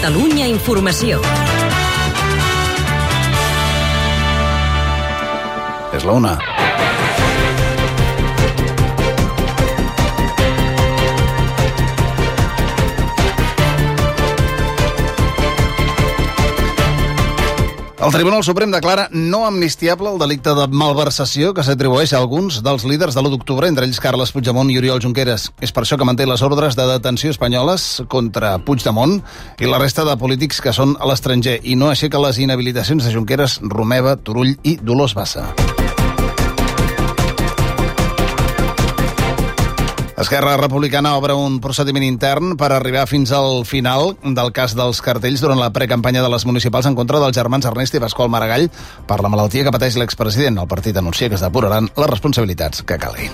Catalunya Informació. És la una. El Tribunal Suprem declara no amnistiable el delicte de malversació que s'atribueix a alguns dels líders de l'1 d'octubre, entre ells Carles Puigdemont i Oriol Junqueras. És per això que manté les ordres de detenció espanyoles contra Puigdemont i la resta de polítics que són a l'estranger i no aixeca les inhabilitacions de Junqueras, Romeva, Turull i Dolors Bassa. Esquerra Republicana obre un procediment intern per arribar fins al final del cas dels cartells durant la precampanya de les municipals en contra dels germans Ernest i Pasqual Maragall per la malaltia que pateix l'expresident. El partit anuncia que es depuraran les responsabilitats que calgui.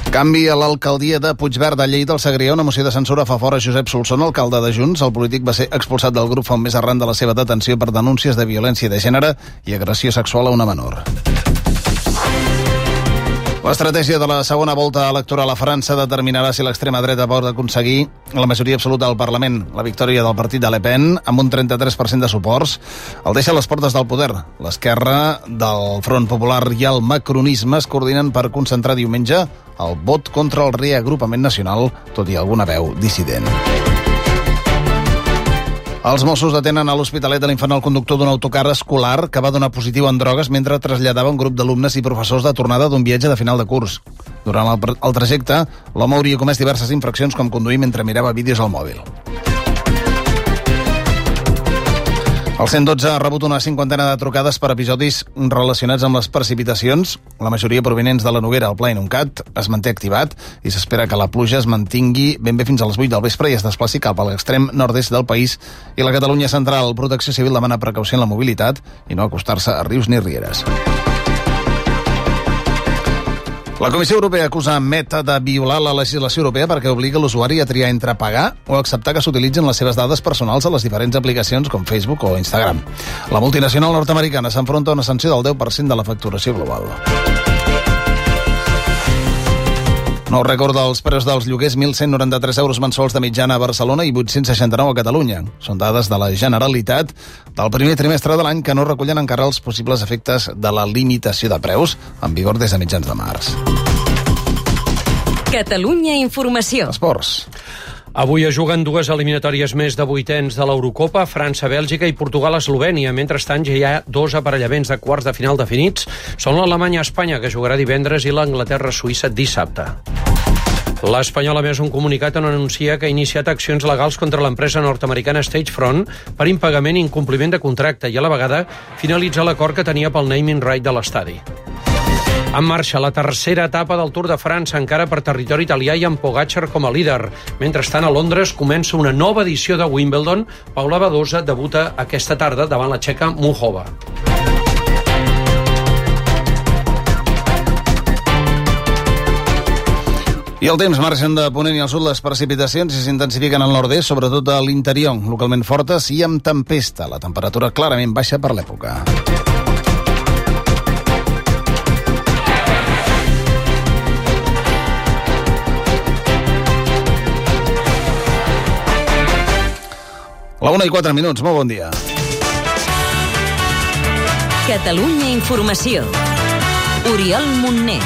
Canvi a l'alcaldia de Puigverd de Lleida. Al Segrià, una moció de censura fa fora Josep Solsona, alcalde de Junts. El polític va ser expulsat del grup fa un mes arran de la seva detenció per denúncies de violència de gènere i agressió sexual a una menor. L'estratègia de la segona volta electoral a França determinarà si l'extrema dreta pot aconseguir la majoria absoluta del Parlament. La victòria del partit de Le Pen, amb un 33% de suports, el deixa a les portes del poder. L'esquerra del Front Popular i el macronisme es coordinen per concentrar diumenge el vot contra el reagrupament nacional, tot i alguna veu dissident. Els Mossos detenen a l'Hospitalet de l'Infant el conductor d'un autocar escolar que va donar positiu en drogues mentre traslladava un grup d'alumnes i professors de tornada d'un viatge de final de curs. Durant el trajecte, l'home hauria comès diverses infraccions com conduir mentre mirava vídeos al mòbil. El 112 ha rebut una cinquantena de trucades per episodis relacionats amb les precipitacions, la majoria provinents de la Noguera. El Pla Inuncat es manté activat i s'espera que la pluja es mantingui ben bé fins a les 8 del vespre i es desplaci cap a l'extrem nord-est del país i la Catalunya central. Protecció Civil demana precaució en la mobilitat i no acostar-se a rius ni rieres. La Comissió Europea acusa Meta de violar la legislació europea perquè obliga l'usuari a triar entre pagar o acceptar que s'utilitzin les seves dades personals a les diferents aplicacions com Facebook o Instagram. La multinacional nord-americana s'enfronta a una sanció del 10% de la facturació global. Nou rècord dels preus dels lloguers, 1.193 euros mensuals de mitjana a Barcelona i 869 a Catalunya. Són dades de la Generalitat del primer trimestre de l'any que no recullen encara els possibles efectes de la limitació de preus en vigor des de mitjans de març. Catalunya Informació. Esports. Avui es juguen dues eliminatòries més de vuitens de l'Eurocopa, França, Bèlgica i Portugal-Eslovènia. Mentrestant, ja hi ha dos aparellaments de quarts de final definits. Són l'Alemanya-Espanya, que jugarà divendres, i l'Anglaterra-Suïssa dissabte. L'Espanyol, a més, un comunicat on anuncia que ha iniciat accions legals contra l'empresa nord-americana Stagefront per impagament i incompliment de contracte i, a la vegada, finalitzar l'acord que tenia pel naming right de l'estadi. En marxa la tercera etapa del Tour de França, encara per territori italià i amb Pogačar com a líder. Mentrestant, a Londres comença una nova edició de Wimbledon. Paula Badosa debuta aquesta tarda davant la txeca Muchova. I el temps, marxen de ponent i al sud les precipitacions i s'intensifiquen al nord-est, sobretot a l'interior, localment fortes i amb tempesta. La temperatura clarament baixa per l'època. La 1:04, molt bon dia. Catalunya Informació. Oriol Montner.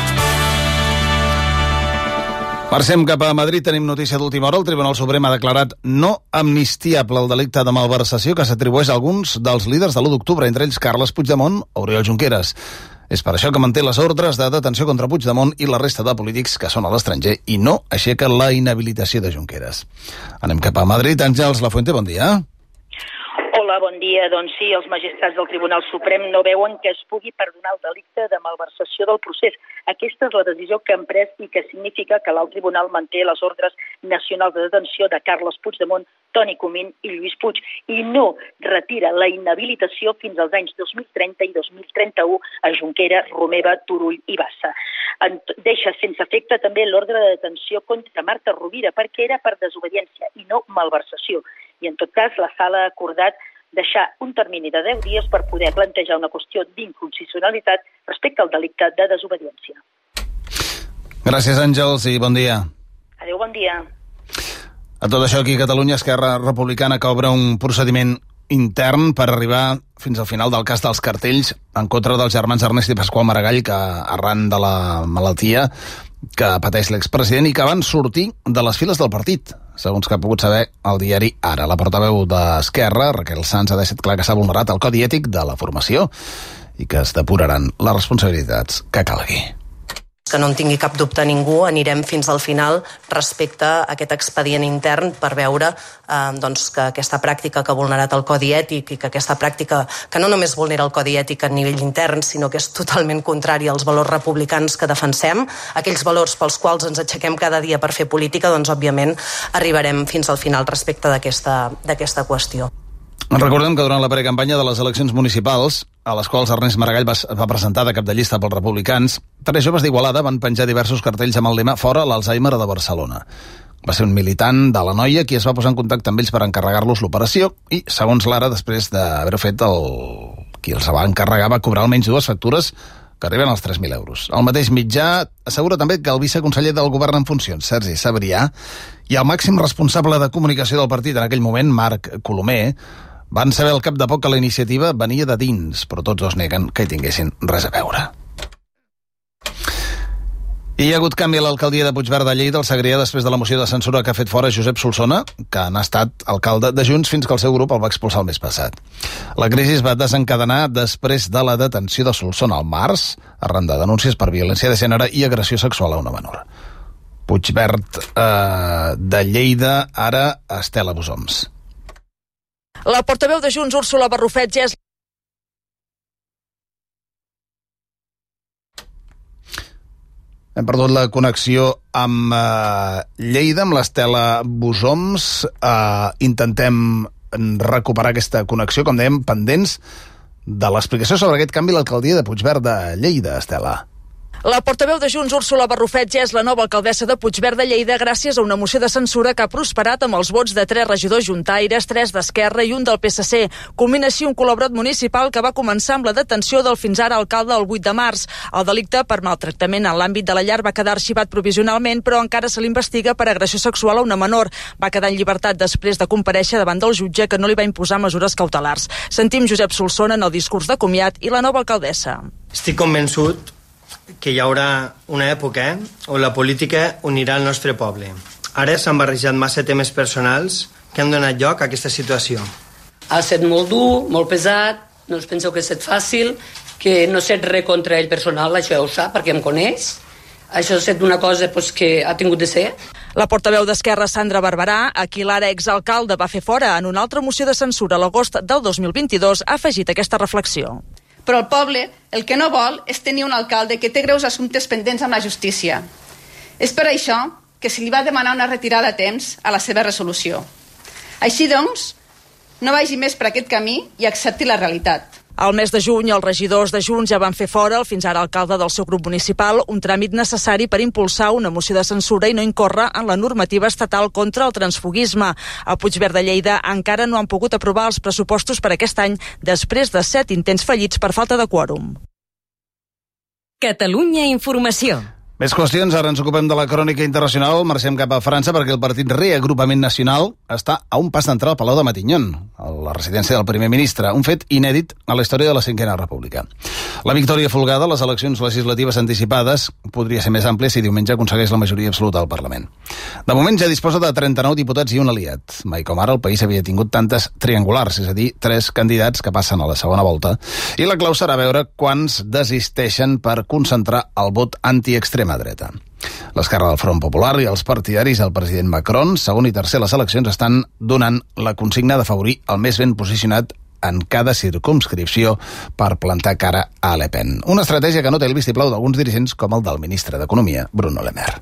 Marxem cap a Madrid, tenim notícia d'última hora. El Tribunal Suprem ha declarat no amnistiable el delicte de malversació que s'atribueix a alguns dels líders de l'1 d'octubre, entre ells Carles Puigdemont o Oriol Junqueras. És per això que manté les ordres de detenció contra Puigdemont i la resta de polítics que són a l'estranger i no aixeca la inhabilitació de Junqueras. Anem cap a Madrid. Àngels Lafuente, bon dia. Hola, bon dia. Doncs sí, els magistrats del Tribunal Suprem no veuen que es pugui perdonar el delicte de malversació del procés. Aquesta és la decisió que han pres i que significa que l'alt tribunal manté les ordres nacionals de detenció de Carles Puigdemont, Toni Comín i Lluís Puig i no retira la inhabilitació fins als anys 2030 i 2031 a Junqueras, Romeva, Turull i Bassa. Deixa sense efecte també l'ordre de detenció contra Marta Rovira perquè era per desobediència i no malversació. I en tot cas la sala ha acordat deixar un termini de 10 dies per poder plantejar una qüestió d'inconstitucionalitat respecte al delicte de desobediència. Gràcies, Àngels, i bon dia. Adéu, bon dia. A tot això, aquí a Catalunya, Esquerra Republicana que obre un procediment intern per arribar fins al final del cas dels cartells en contra dels germans Ernest i Pasqual Maragall, que arran de la malaltia que pateix l'expresident i que van sortir de les files del partit, segons que ha pogut saber el diari Ara. La portaveu d'Esquerra, Raquel Sans, ha deixat clar que s'ha vulnerat el codi ètic de la formació i que es depuraran les responsabilitats que calgui. Que no en tingui cap dubte ningú, anirem fins al final respecte a aquest expedient intern per veure que aquesta pràctica que ha vulnerat el codi ètic i que aquesta pràctica que no només vulnera el codi ètic a nivell intern, sinó que és totalment contrari als valors republicans que defensem, aquells valors pels quals ens aixequem cada dia per fer política, doncs òbviament arribarem fins al final respecte d'aquesta qüestió. Recordem que durant la precampanya de les eleccions municipals, a les quals Ernest Maragall va presentar de cap de llista pels republicans, 3 joves d'Igualada van penjar diversos cartells amb el lema «Fora l'Alzheimer de Barcelona». Va ser un militant de la Noia qui es va posar en contacte amb ells per encarregar-los l'operació i, segons l'Ara, després d'haver-ho fet, qui els va encarregar va cobrar almenys 2 factures que arriben als 3.000 euros. El mateix mitjà assegura també que el viceconseller del govern en funcions, Sergi Sabrià, i el màxim responsable de comunicació del partit en aquell moment, Marc Colomer, van saber al cap de poc que la iniciativa venia de dins, però tots dos neguen que hi tinguessin res a veure. I hi ha hagut canvi a l'alcaldia de Puigverd de Lleida al Segrià després de la moció de censura que ha fet fora Josep Solsona, que n'ha estat alcalde de Junts fins que el seu grup el va expulsar el mes passat. La crisi es va desencadenar després de la detenció de Solsona al març, arran de denúncies per violència de gènere i agressió sexual a una menor. Puigverd de Lleida, ara Estela Busoms. La portaveu de Junts, Úrsula Barrufet, ja és... Hem perdut la connexió amb Lleida, amb l'Estela Busoms. Intentem recuperar aquesta connexió, com dèiem, pendents de l'explicació sobre aquest canvi a l'alcaldia de Puigverd de Lleida, Estela. La portaveu de Junts, Úrsula Barrufet, ja és la nova alcaldessa de Puigverd de Lleida gràcies a una moció de censura que ha prosperat amb els vots de 3 regidors juntaires, 3 d'Esquerra i un del PSC. Culmina així un col·laborat municipal que va començar amb la detenció del fins ara alcalde el 8 de març. El delicte per maltractament en l'àmbit de la llar va quedar arxivat provisionalment, però encara se l'investiga per agressió sexual a una menor. Va quedar en llibertat després de comparèixer davant del jutge que no li va imposar mesures cautelars. Sentim Josep Solsona en el discurs de comiat i la nova alcaldessa. Estic convençut que hi haurà una època on la política unirà el nostre poble. Ara s'han barrejat massa temes personals que han donat lloc a aquesta situació. Ha estat molt dur, molt pesat, no us penseu que ha estat fàcil, que no he fet res contra ell personal, això ja ho sap, perquè em coneix. Això ha estat una cosa que ha tingut de ser. La portaveu d'Esquerra, Sandra Barberà, a qui l'ara exalcalde va fer fora en una altra moció de censura a l'agost del 2022, ha afegit aquesta reflexió. Però el poble el que no vol és tenir un alcalde que té greus assumptes pendents amb la justícia. És per això que se li va demanar una retirada a temps a la seva resolució. Així doncs, no vagi més per aquest camí i accepti la realitat. Al mes de juny, els regidors de Junts ja van fer fora el fins ara alcalde del seu grup municipal, un tràmit necessari per impulsar una moció de censura i no incórrer en la normativa estatal contra el transfuguisme. A Puigverd de Lleida encara no han pogut aprovar els pressupostos per aquest any després de 7 intents fallits per falta de quòrum. Catalunya Informació. Més qüestions, ara ens ocupem de la crònica internacional, marxem cap a França perquè el partit Reagrupament Nacional està a un pas d'entrar al Palau de Matignon, a la residència del primer ministre, un fet inèdit a la història de la Cinquena República. La victòria folgada a les eleccions legislatives anticipades podria ser més àmplia si diumenge aconsegueix la majoria absoluta al Parlament. De moment ja disposa de 39 diputats i un aliat. Mai com ara el país havia tingut tantes triangulars, és a dir, 3 candidats que passen a la segona volta, i la clau serà veure quants desisteixen per concentrar el vot antiextrema dreta. L'esquerra del Front Popular i els partidaris del president Macron, segon i tercer les eleccions, estan donant la consigna d'afavorir el més ben posicionat en cada circumscripció per plantar cara a Le Pen. Una estratègia que no té el vistiplau d'alguns dirigents com el del ministre d'Economia, Bruno Le Maire.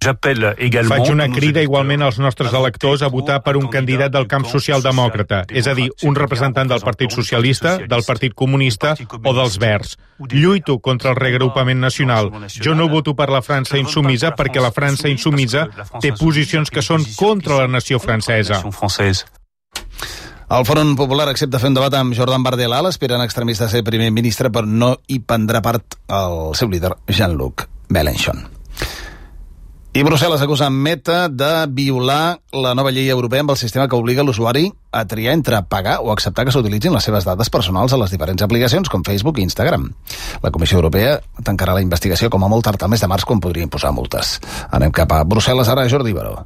Faig una crida igualment als nostres electors a votar per un candidat del camp socialdemòcrata, és a dir, un representant del Partit Socialista, del Partit Comunista o dels Verds. Lluito contra el reagrupament nacional. Jo no voto per la França insumisa perquè la França insumisa té posicions que són contra la nació francesa. El Front Popular accepta fer un debat amb Jordan Bardella, l'aspirant extremista a ser primer ministre, però no hi prendrà part el seu líder, Jean-Luc Mélenchon. I Brussel·les acusa Meta de violar la nova llei europea amb el sistema que obliga l'usuari a triar entre pagar o acceptar que s'utilitzin les seves dades personals a les diferents aplicacions com Facebook i Instagram. La Comissió Europea tancarà la investigació com a molt tard al mes de març, quan podria imposar multes. Anem cap a Brussel·les ara, Jordi Baró.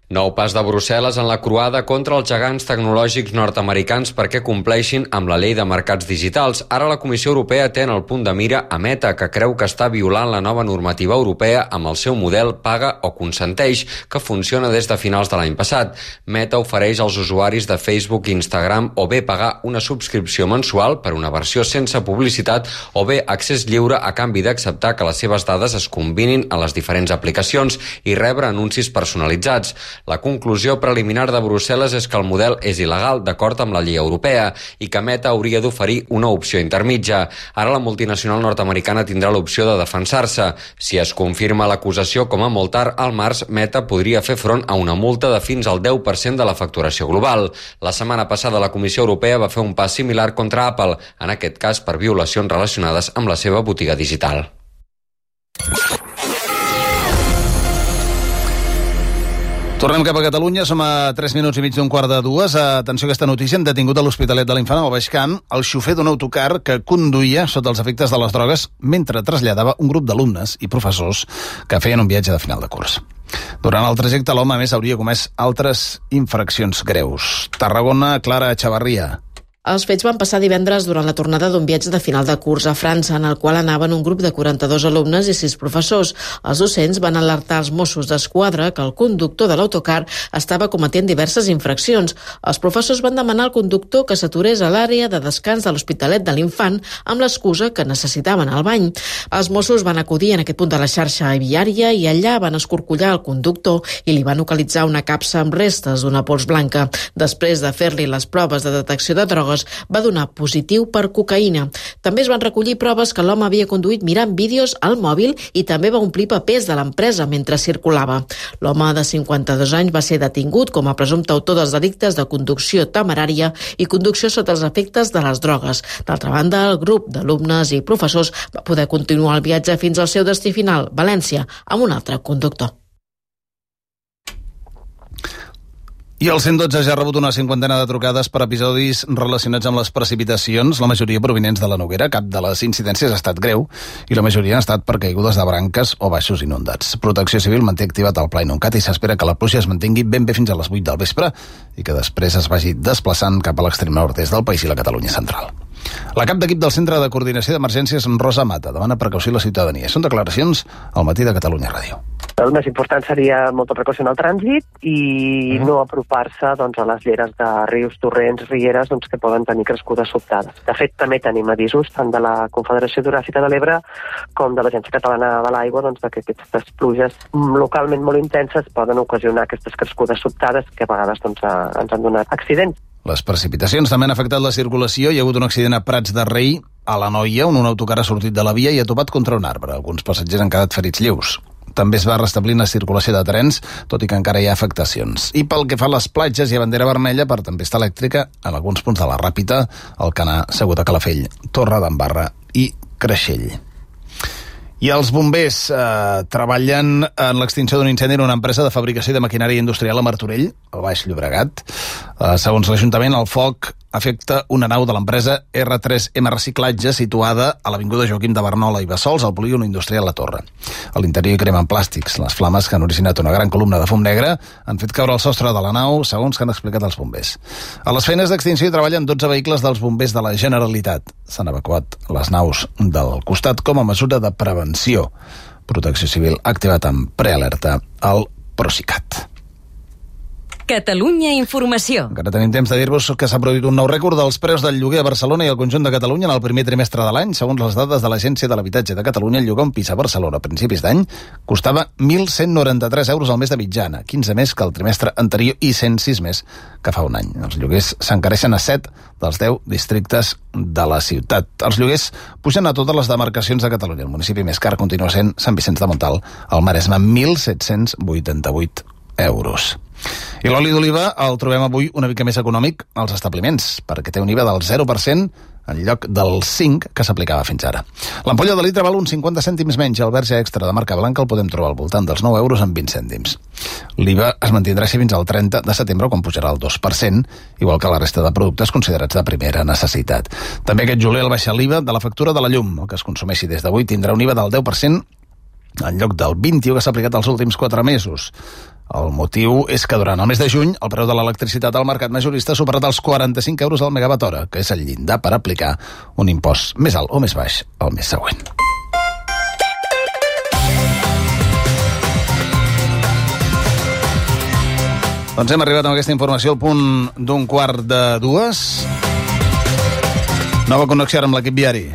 Nou pas de Brussel·les en la croada contra els gegants tecnològics nord-americans perquè compleixin amb la llei de mercats digitals. Ara la Comissió Europea té en el punt de mira a Meta, que creu que està violant la nova normativa europea amb el seu model paga o consenteix, que funciona des de finals de l'any passat. Meta ofereix als usuaris de Facebook i Instagram o bé pagar una subscripció mensual per una versió sense publicitat o bé accés lliure a canvi d'acceptar que les seves dades es combinin a les diferents aplicacions i rebre anuncis personalitzats. La conclusió preliminar de Brussel·les és que el model és il·legal d'acord amb la llei europea i que Meta hauria d'oferir una opció intermitja. Ara la multinacional nord-americana tindrà l'opció de defensar-se. Si es confirma l'acusació com a molt tard, al març Meta podria fer front a una multa de fins al 10% de la facturació global. La setmana passada la Comissió Europea va fer un pas similar contra Apple, en aquest cas per violacions relacionades amb la seva botiga digital. Tornem cap a Catalunya, som a 3 minuts i mig d'un quart de dues. Atenció a aquesta notícia, han detingut a l'Hospitalet de l'Infant, al Baix Camp, el xofer d'un autocar que conduïa sota els efectes de les drogues mentre traslladava un grup d'alumnes i professors que feien un viatge de final de curs. Durant el trajecte, l'home, a més, hauria comès altres infraccions greus. Tarragona, Clara Echavarria. Els fets van passar divendres durant la tornada d'un viatge de final de curs a França, en el qual anaven un grup de 42 alumnes i 6 professors. Els docents van alertar els Mossos d'Esquadra que el conductor de l'autocar estava cometent diverses infraccions. Els professors van demanar al conductor que s'aturés a l'àrea de descans de l'Hospitalet de l'Infant amb l'excusa que necessitaven el bany. Els Mossos van acudir en aquest punt de la xarxa viària i allà van escorcollar el conductor i li van localitzar una capsa amb restes d'una pols blanca. Després de fer-li les proves de detecció de drogues, va donar positiu per cocaïna. També es van recollir proves que l'home havia conduït mirant vídeos al mòbil i també va omplir papers de l'empresa mentre circulava. L'home de 52 anys va ser detingut com a presumpte autor dels delictes de conducció temerària i conducció sota els efectes de les drogues. D'altra banda, el grup d'alumnes i professors va poder continuar el viatge fins al seu destí final, València, amb un altre conductor. I el 112 ja ha rebut una 50ena de trucades per episodis relacionats amb les precipitacions, la majoria provinents de la Noguera. Cap de les incidències ha estat greu i la majoria han estat per caigudes de branques o baixos inundats. Protecció Civil manté activat el Pla Inuncat i s'espera que la pluja es mantingui ben bé fins a les 8 del vespre i que després es vagi desplaçant cap a l'extrem nord-est del país i la Catalunya central. La cap d'equip del Centre de Coordinació d'Emergències, Rosa Mata, demana precaució a la ciutadania. Són declaracions al Matí de Catalunya Ràdio. El més important seria molta precaució en el trànsit i no apropar-se a les lleres de rius, torrents, rieres que poden tenir crescudes sobtades. De fet, també tenim avisos tant de la Confederació Hidrogràfica de l'Ebre com de l'Agència Catalana de l'Aigua que aquestes pluges localment molt intenses poden ocasionar aquestes crescudes sobtades que a vegades ens han donat accidents. Les precipitacions també han afectat la circulació. Hi ha hagut un accident a Prats de Rei, a l'Anoia, on un autocar ha sortit de la via i ha topat contra un arbre. Alguns passatgers han quedat ferits lleus. També es va restablir la circulació de trens, tot i que encara hi ha afectacions. I pel que fa a les platges, hi ha bandera vermella per tempesta elèctrica en alguns punts de la Ràpita, Alcanar, Seguta, Calafell, Torre d'Embarra i Creixell. I els bombers treballen en l'extinció d'un incendi en una empresa de fabricació de maquinària industrial a Martorell, al Baix Llobregat. Segons l'Ajuntament, el foc afecta una nau de l'empresa R3M Reciclatge situada a l'avinguda Joaquim de Barnola i Bassols, al polígon industrial La Torre. A l'interior hi cremen plàstics. Les flames, que han originat una gran columna de fum negre, han fet caure el sostre de la nau, segons que han explicat els bombers. A les feines d'extinció hi treballen 12 vehicles dels bombers de la Generalitat. S'han evacuat les naus del costat com a mesura de prevenció. Protecció Civil ha activat amb prealerta el Procicat. Catalunya Informació. Encara tenim temps de dir-vos que s'ha produït un nou rècord dels preus del lloguer a Barcelona i al conjunt de Catalunya en el primer trimestre de l'any. Segons les dades de l'Agència de l'Habitatge de Catalunya, el llogar un pis a Barcelona a principis d'any costava 1.193 euros al mes de mitjana, 15 més que el trimestre anterior i 106 més que fa un any. Els lloguers s'encareixen a 7 dels 10 districtes de la ciutat. Els lloguers pugen a totes les demarcacions de Catalunya. El municipi més car continua sent Sant Vicenç de Montalt, al Maresme, 1.788 euros. I l'oli d'oliva el trobem avui una mica més econòmic als establiments, perquè té un IVA del 0% en lloc dels 5 que s'aplicava fins ara. L'ampolla de litre val uns 50 cèntims menys. El verge extra de marca blanca el podem trobar al voltant dels 9 euros amb 20 cèntims. L'IVA es mantindrà així fins al 30 de setembre, quan pujarà el 2%, igual que la resta de productes considerats de primera necessitat. També aquest juliol baixa l'IVA de la factura de la llum. El que es consumeixi des d'avui tindrà un IVA del 10% en lloc del 21% que s'ha aplicat els últims 4 mesos. El motiu és que durant el mes de juny el preu de l'electricitat al mercat majorista ha superat els 45 euros al megawatt hora, que és el llindar per aplicar un impost més alt o més baix el mes següent. Doncs hem arribat amb aquesta informació al punt d'un 1:45. Nova connexió amb l'equip viari.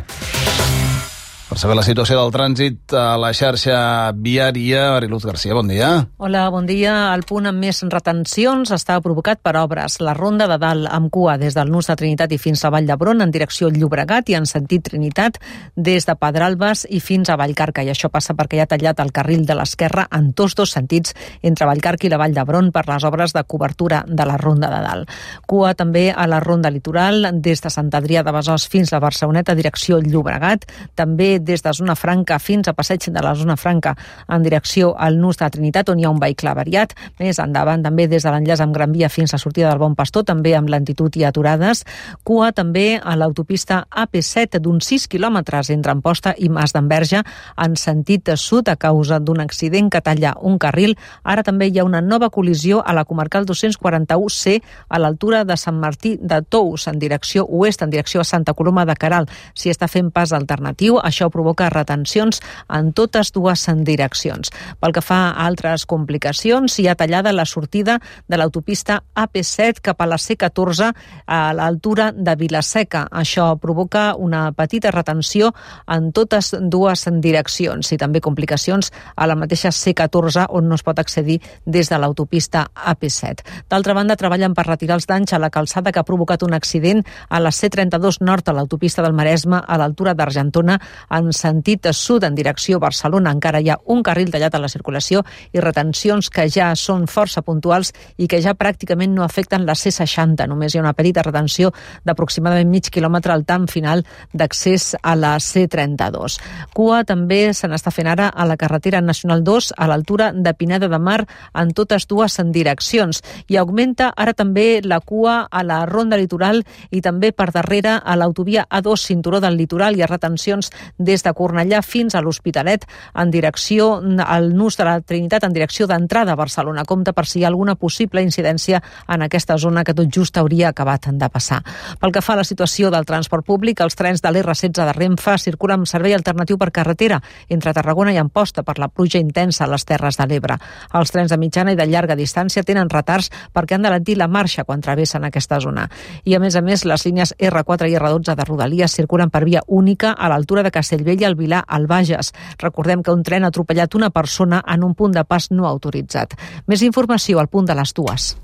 Per saber la situació del trànsit a la xarxa viària, Mariluz García, bon dia. Hola, bon dia. El punt amb més retencions està provocat per obres. La Ronda de Dalt amb cua des del Nus de Trinitat i fins a Vall d'Hebron en direcció Llobregat i en sentit Trinitat des de Pedralbes i fins a Vallcarca. I això passa perquè hi ha tallat el carril de l'esquerra en tots dos sentits entre Vallcarca i la Vall d'Hebron per les obres de cobertura de la Ronda de Dalt. Cua també a la Ronda Litoral des de Sant Adrià de Besòs fins a Barceloneta direcció Llobregat. També des de Zona Franca fins a Passeig de la Zona Franca en direcció al Nus de Trinitat, on hi ha un vehicle avariat. Més endavant, també des de l'enllaç amb Gran Via fins a sortida del Bon Pastor, també amb lentitud i aturades. Cua també a l'autopista AP7 d'uns 6 quilòmetres entre Amposta i Mas d'Enverge en sentit sud a causa d'un accident que talla un carril. Ara també hi ha una nova col·lisió a la comarcal 241C a l'altura de Sant Martí de Tous en direcció oest, en direcció a Santa Coloma de Queralt. S'hi està fent pas alternatiu, això provoca retencions en totes dues direccions. Pel que fa a altres complicacions, hi ha tallada la sortida de l'autopista AP7 cap a la C14 a l'altura de Vilaseca. Això provoca una petita retenció en totes dues direccions i també complicacions a la mateixa C14 on no es pot accedir des de l'autopista AP7. D'altra banda, treballen per retirar els danys a la calçada que ha provocat un accident a la C32 nord a l'autopista del Maresme a l'altura d'Argentona en sentit sud en direcció Barcelona. Encara hi ha un carril tallat a la circulació i retencions que ja són força puntuals i que ja pràcticament no afecten la C60. Només hi ha una petita retenció d'aproximadament mig quilòmetre al tram final d'accés a la C32. Cua també se n'està fent ara a la carretera nacional 2 a l'altura de Pineda de Mar en totes dues direccions. I augmenta ara també la cua a la Ronda Litoral i també per darrere a l'autovia A2 Cinturó del Litoral. Hi ha retencions des de Cornellà fins a l'Hospitalet en direcció al Nus de la Trinitat, en direcció d'entrada a Barcelona. Compte per si hi ha alguna possible incidència en aquesta zona que tot just hauria acabat de passar. Pel que fa a la situació del transport públic, els trens de l'R16 de Renfe circulen amb servei alternatiu per carretera entre Tarragona i Amposta per la pluja intensa a les Terres de l'Ebre. Els trens de mitjana i de llarga distància tenen retards perquè han d'alentir la marxa quan travessen aquesta zona. I a més, les línies R4 i R12 de Rodalies circulen per via única a l'altura de Castellbell i el Vilar al Bages. Recordem que un tren ha atropellat una persona en un punt de pas no autoritzat. Més informació al punt de les 2.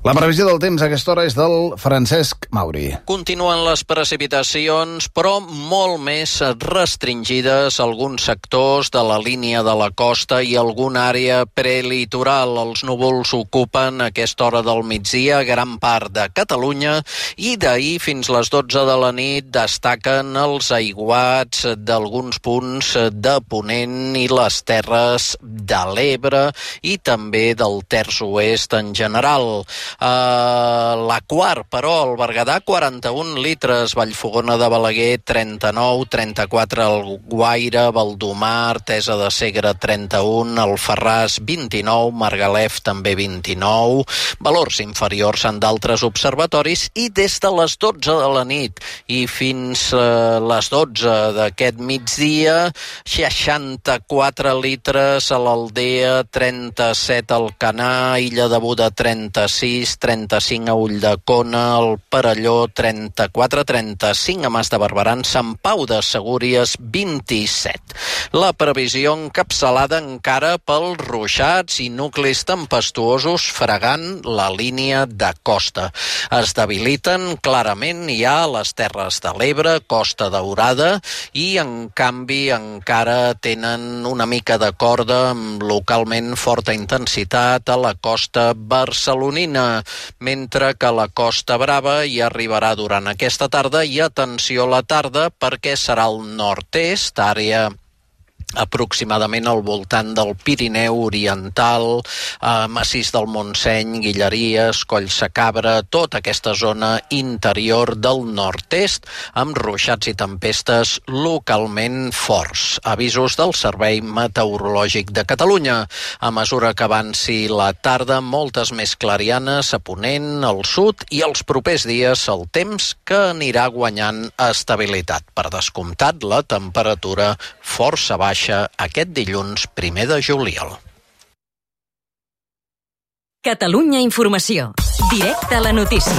La previsió del temps a aquesta hora és del Francesc Mauri. Continuen les precipitacions, però molt més restringides a alguns sectors de la línia de la costa i alguna àrea prelitoral. Els núvols ocupen a aquesta hora del migdia gran part de Catalunya i d'ahir fins les 12 de la nit destaquen els aiguats d'alguns punts de Ponent i les Terres de l'Ebre i també del Terç Oest en general. La Quar, però, el Berguedà 41 litres, Vallfogona de Balaguer 39, 34 el Guaire, Valdomar, Artesa de Segre 31, el Ferràs 29, Margalef també 29, valors inferiors en d'altres observatoris i des de les 12 de la nit i fins a les 12 d'aquest migdia 64 litres a l'Aldea, 37 al Canà, Illa de Buda 36, 35 a Ulldecona, el Perelló 34, 35 a Mas de Barberans, Sant Pau de Segúries 27. La previsió encapçalada encara pels ruixats i nuclis tempestuosos fregant la línia de costa. Es debiliten clarament ja a les Terres de l'Ebre, Costa Daurada i en canvi encara tenen una mica de corda amb localment forta intensitat a la costa barcelonina. zona, mentre que la Costa Brava hi arribarà durant aquesta tarda i atenció a la tarda perquè serà al nord-est, àrea aproximadament al voltant del Pirineu Oriental, massís del Montseny, Guilleries, Collsacabra, tota aquesta zona interior del nord-est, amb ruixats i tempestes localment forts. Avisos del Servei Meteorològic de Catalunya. A mesura que avanci la tarda, moltes més clarianes a ponent, al sud, i els propers dies el temps que anirà guanyant estabilitat. Per descomptat, la temperatura força baixa aquest dilluns 1 de juliol. Catalunya Informació. Directe a la notícia.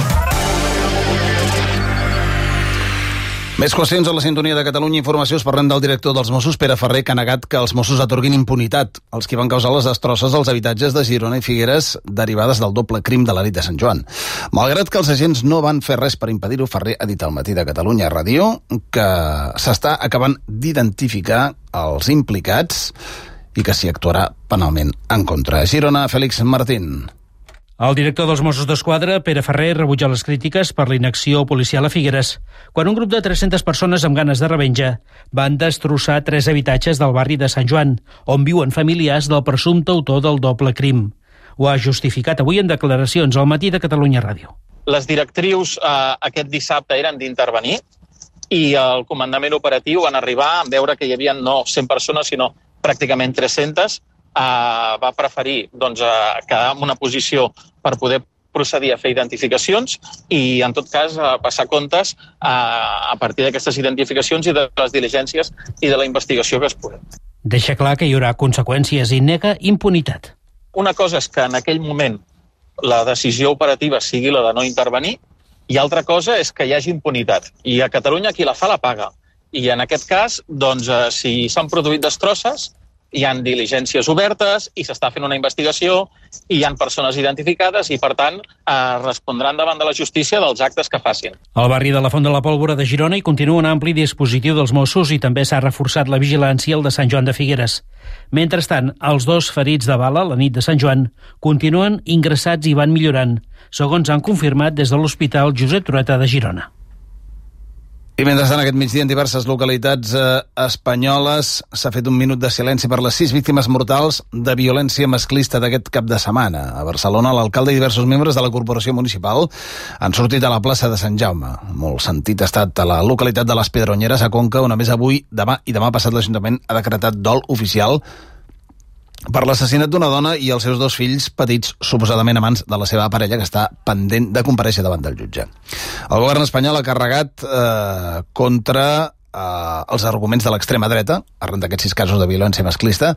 Més qüestions a la sintonia de Catalunya Informació. Es parlem del director dels Mossos, Pere Ferrer, que ha negat que els Mossos atorguin impunitat als qui van causar les destrosses als habitatges de Girona i Figueres derivades del doble crim de la nit de Sant Joan. Malgrat que els agents no van fer res per impedir-ho, Ferrer ha dit al Matí de Catalunya Ràdio que s'està acabant d'identificar els implicats i que s'hi actuarà penalment en contra. Girona, Fèlix Martín. El director dels Mossos d'Esquadra, Pere Ferrer, rebutja les crítiques per la inacció policial a Figueres, quan un grup de 300 persones amb ganes de revenja van destrossar 3 habitatges del barri de Sant Joan, on viuen familiars del presumpte autor del doble crim. Ho ha justificat avui en declaracions al Matí de Catalunya Ràdio. Les directrius aquest dissabte eren d'intervenir i el comandament operatiu van arribar a veure que hi havia no 100 persones, sinó pràcticament 300. Va preferir quedar en una posició per poder procedir a fer identificacions i, en tot cas, passar comptes a partir d'aquestes identificacions i de les diligències i de la investigació que es pugui. Deixa clar que hi haurà conseqüències i nega impunitat. Una cosa és que en aquell moment la decisió operativa sigui la de no intervenir i altra cosa és que hi hagi impunitat. I a Catalunya qui la fa la paga. I en aquest cas, si s'han produït destrosses, hi ha diligències obertes i s'està fent una investigació i hi ha persones identificades i, per tant, respondran davant de la justícia dels actes que facin. Al barri de la Font de la Pólvora de Girona hi continua un ampli dispositiu dels Mossos i també s'ha reforçat la vigilància al de Sant Joan de Figueres. Mentrestant, els 2 ferits de bala la nit de Sant Joan continuen ingressats i van millorant, segons han confirmat des de l'Hospital Josep Trueta de Girona. I mentrestant, aquest migdia, en diverses localitats espanyoles s'ha fet un minut de silenci per les 6 víctimes mortals de violència masclista d'aquest cap de setmana. A Barcelona, l'alcalde i diversos membres de la corporació municipal han sortit a la plaça de Sant Jaume. Molt sentit ha estat a la localitat de les Pedronyeres, a Conca, on a més avui, demà i demà passat l'Ajuntament ha decretat dol oficial per l'assassinat d'una dona i els seus 2 fills petits, suposadament amants de la seva parella, que està pendent de comparèixer davant del jutge. El govern espanyol ha carregat contra els arguments de l'extrema dreta, arran d'aquests 6 casos de violència masclista.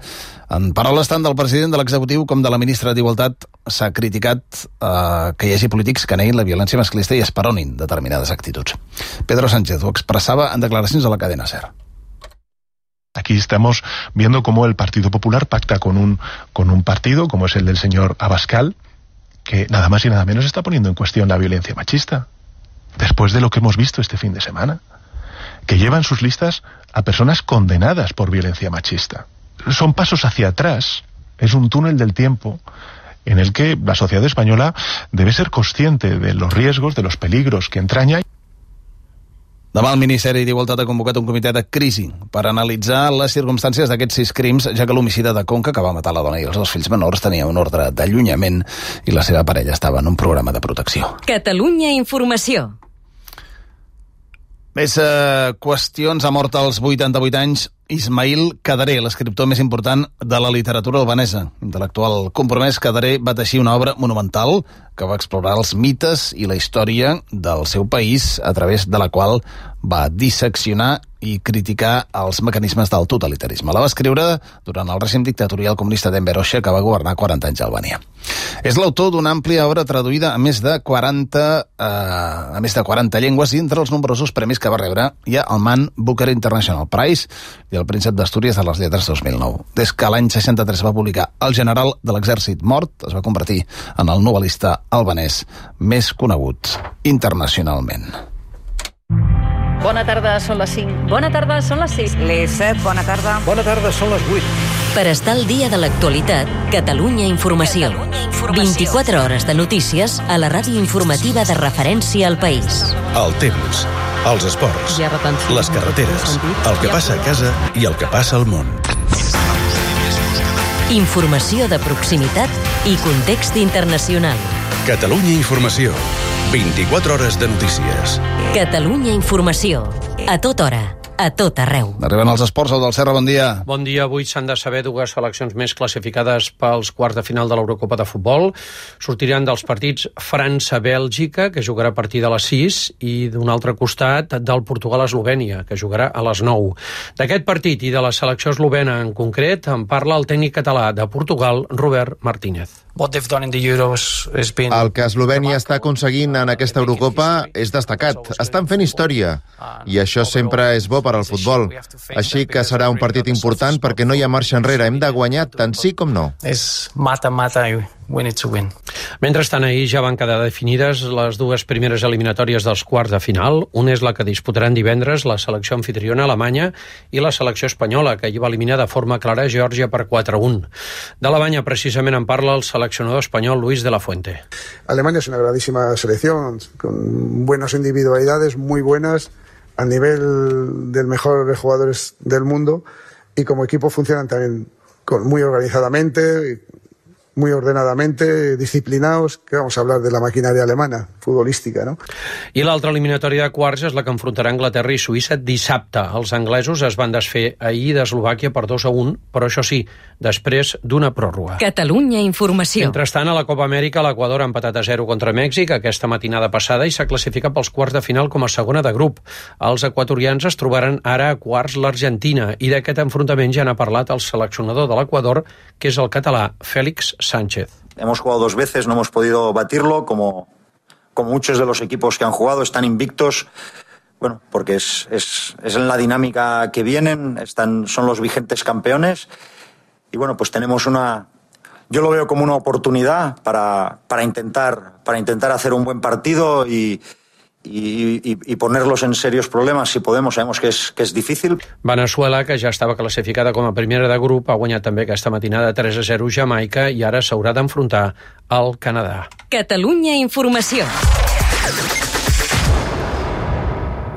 En paraules tant del president de l'executiu com de la ministra d'Igualtat, s'ha criticat que hi hagi polítics que neguin la violència masclista i esperonin determinades actituds. Pedro Sánchez ho expressava en declaracions a la cadena SER. Aquí estamos viendo cómo el Partido Popular pacta con un partido, como es el del señor Abascal, que nada más y nada menos está poniendo en cuestión la violencia machista. Después de lo que hemos visto este fin de semana, que lleva en sus listas a personas condenadas por violencia machista. Son pasos hacia atrás, es un túnel del tiempo en el que la sociedad española debe ser consciente de los riesgos, de los peligros que entraña. Demà el Ministeri d'Igualtat ha convocat un comitè de crisi per analitzar les circumstàncies d'aquests 6 crims, ja que l'homicida de Conca, que va matar la dona i els 2 fills menors, tenia un ordre d'allunyament i la seva parella estava en un programa de protecció. Catalunya Informació. Més qüestions. Ha mort als 88 anys Ismail Cadaré, l'escriptor més important de la literatura albanesa. Intel·lectual compromès, Cadaré va teixir una obra monumental que va explorar els mites i la història del seu país, a través de la qual va disseccionar i criticar els mecanismes del totalitarisme. La va escriure durant el règim dictatorial comunista d'Enver Hoxha, que va governar 40 anys a Albània. És l'autor d'una àmplia obra traduïda a més de 40 llengües, i entre els nombrosos premis que va rebre hi ha el Man Booker International Prize i el Príncep d'Astúries de les Lletres 2009. Des que l'any 63 va publicar El general de l'exèrcit mort, es va convertir en el novel·lista albanès més conegut internacionalment. Bona tarda, són les 5. Bona tarda, són les 6. Les 7, bona tarda. Bona tarda, són les 8. Per estar al dia de l'actualitat, Catalunya Informació. 24 hores de notícies a la ràdio informativa de referència al país. El temps, els esports, les carreteres, el que passa a casa i el que passa al món. Informació de proximitat i context internacional. Catalunya Informació. 24 hores de notícies. Catalunya Informació. A tota hora, a tot arreu. Arriben els esports, del Serra, bon dia. Bon dia. Avui s'han de saber dues seleccions més classificades pels quarts de final de l'Eurocopa de futbol. Sortiran dels partits França-Bèlgica, que jugarà a partir de les 6, i d'un altre costat del Portugal-Eslovènia, que jugarà a les 9. D'aquest partit i de la selecció eslovena en concret en parla el tècnic català de Portugal, Robert Martínez. El que Eslovènia està aconseguint en aquesta Eurocopa és destacat. Estan fent història i això sempre és bo per al futbol. Així que serà un partit important perquè no hi ha marxa enrere. Hem de guanyar tant sí com no. És mata-mata i win it to win. Mentrestant, ahir ja van quedar definides les dues primeres eliminatòries dels quarts de final. Una és la que disputaran divendres la selecció anfitriona alemanya i la selecció espanyola, que hi va eliminar de forma clara Geòrgia per 4-1. D'Alemanya, precisament, en parla el seleccionador espanyol Luis de la Fuente. Alemania es una grandísima selección, con buenas individualidades, muy buenas, al nivel del mejor de jugadores del mundo, y como equipo funcionan también muy organizadamente, muy ordenadamente, disciplinados, que vamos a hablar de la maquinaria alemana, futbolística, ¿no? I l'altra eliminatòria de quarts és la que enfrontarà Anglaterra i Suïssa dissabte. Els anglesos es van desfer ahir d'Eslovàquia per 2-1, però això sí, després d'una pròrroga. Catalunya Informació. Mentrestant, a la Copa Amèrica, l'Equador ha empatat a 0 contra Mèxic aquesta matinada passada i s'ha classificat pels quarts de final com a segona de grup. Els equatorians es trobaran ara a quarts l'Argentina, i d'aquest enfrontament ja n'ha parlat el seleccionador de l'Equador, que és el català Félix Sánchez. Hemos jugado 2 veces, no hemos podido batirlo, como muchos de los equipos que han jugado, están invictos, bueno, porque es en la dinámica que vienen, son los vigentes campeones, y bueno, pues tenemos yo lo veo como una oportunidad para intentar hacer un buen partido y ponerlos en serios problemas si podemos. Sabemos que es difícil. Veneçuela, que ja estava classificada com a primera de grup, ha guanyat també aquesta matinada 3-0 Jamaica i ara s'haurà d'enfrontar al Canadà. Catalunya Informació.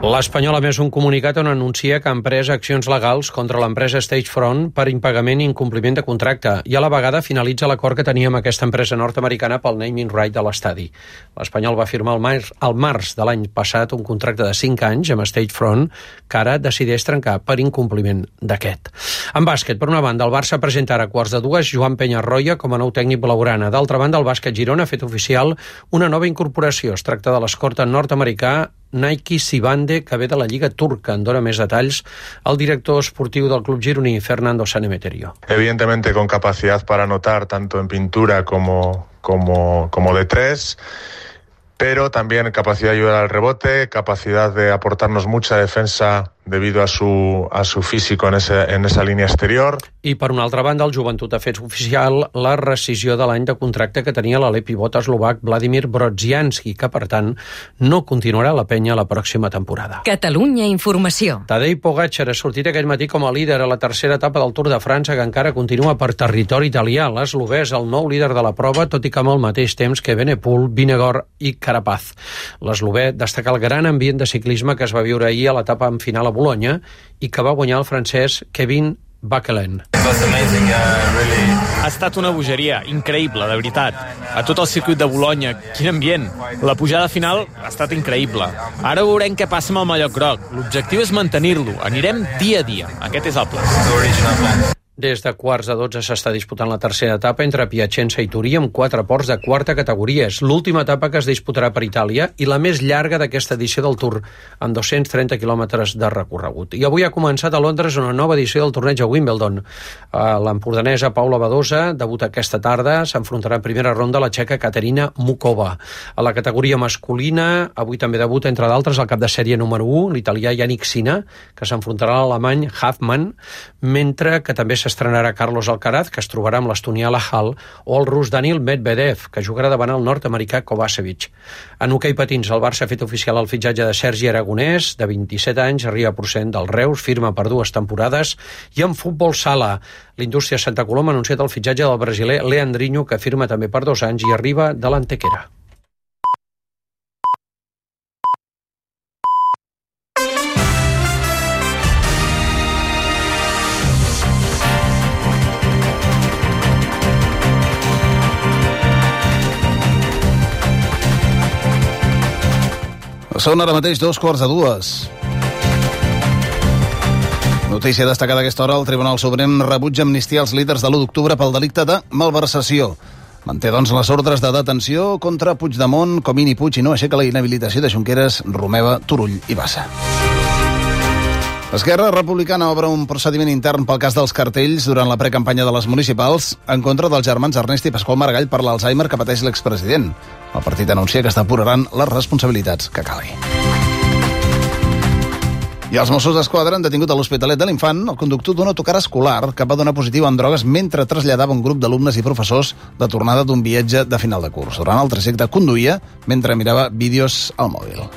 L'Espanyol ha emès un comunicat on anuncia que ha emprès accions legals contra l'empresa Stagefront per impagament i incompliment de contracte, i a la vegada finalitza l'acord que tenia amb aquesta empresa nord-americana pel naming right de l'estadi. L'Espanyol va firmar al març de l'any passat un contracte de 5 anys amb Stagefront, que ara decideix trencar per incompliment d'aquest. En bàsquet, per una banda, el Barça presenta ara a quarts de 2 Joan Peñarroya com a nou tècnic blaugrana. D'altra banda, el bàsquet Girona ha fet oficial una nova incorporació. Es tracta de l'escorta nord-americà Nike Sibande, que ve de la Lliga Turca. En dona més detalls el director esportiu del club gironí, Fernando Sanemeterio. Evidentemente con capacidad para anotar tanto en pintura como de 3, pero también capacidad de ayudar al rebote, capacidad de aportarnos mucha defensa debido a su físico en esa línea exterior. I per una altra banda, el Joventut ha fet oficial la rescisió de l'any de contracte que tenia l'alè pivot eslovac Vladimir Brodzianski, que per tant no continuarà la penya la pròxima temporada. Catalunya Informació. Tadej Pogačar ha sortit aquest matí com a líder a la tercera etapa del Tour de França, que encara continua per territori italià. L'eslovè és el nou líder de la prova, tot i que amb el mateix temps que Benepul, Vingegaard i Carapaz. L'eslovè destaca el gran ambient de ciclisme que es va viure ahir a l'etapa en final a Bolonya i que va guanyar el francès Kevin Backelen. Ha estat una bogeria increïble, de veritat. A tot el circuit de Bolonya, quin ambient. La pujada final ha estat increïble. Ara veurem què passa amb el mallot groc. L'objectiu és mantenir-lo. Anirem dia a dia. Aquest és el pla. Des de quarts de 12 s'està disputant la tercera etapa entre Piacenza i Turí amb 4 ports de quarta categoria. És l'última etapa que es disputarà per Itàlia i la més llarga d'aquesta edició del Tour, amb 230 quilòmetres de recorregut. I avui ha començat a Londres una nova edició del torneig a Wimbledon. L'empordanesa Paula Badosa debuta aquesta tarda, s'enfrontarà en primera ronda la txeca Katerina Mukova. A la categoria masculina, avui també debuta, entre d'altres, el cap de sèrie número 1, l'italià Yannick Sinner, que s'enfrontarà a l'alemany Hafmann, mentre que també s'estrenarà Carlos Alcaraz, que es trobarà amb l'estonià Lajal, o el rus Daniil Medvedev, que jugarà davant el nord-americà Kovacevic. En hoquei patins, el Barça ha fet oficial el fitxatge de Sergi Aragonès, de 27 anys, arriba procedent del Reus, firma per 2 temporades, i en futbol sala, l'Indústria Santa Coloma ha anunciat el fitxatge del brasiler Leandrinho, que firma també per 2 anys i arriba de l'Antequera. Són ara mateix 2:45. Notícia destacada a aquesta hora, el Tribunal Suprem rebutja amnistia als líders de l'1 d'octubre pel delicte de malversació. Manté, doncs, les ordres de detenció contra Puigdemont, Comín i Puig i no aixeca la inhabilitació de Junqueras, Romeva, Turull i Bassa. Esquerra Republicana obre un procediment intern pel cas dels cartells durant la precampanya de les municipals en contra dels germans Ernest i Pasqual Maragall per l'Alzheimer que pateix l'expresident. El partit anuncia que està apurant les responsabilitats que calgui. I els Mossos d'Esquadra han detingut a l'Hospitalet de l'Infant el conductor d'un autocar escolar que va donar positiu en drogues mentre traslladava un grup d'alumnes i professors de tornada d'un viatge de final de curs. Durant el trajecte conduïa mentre mirava vídeos al mòbil.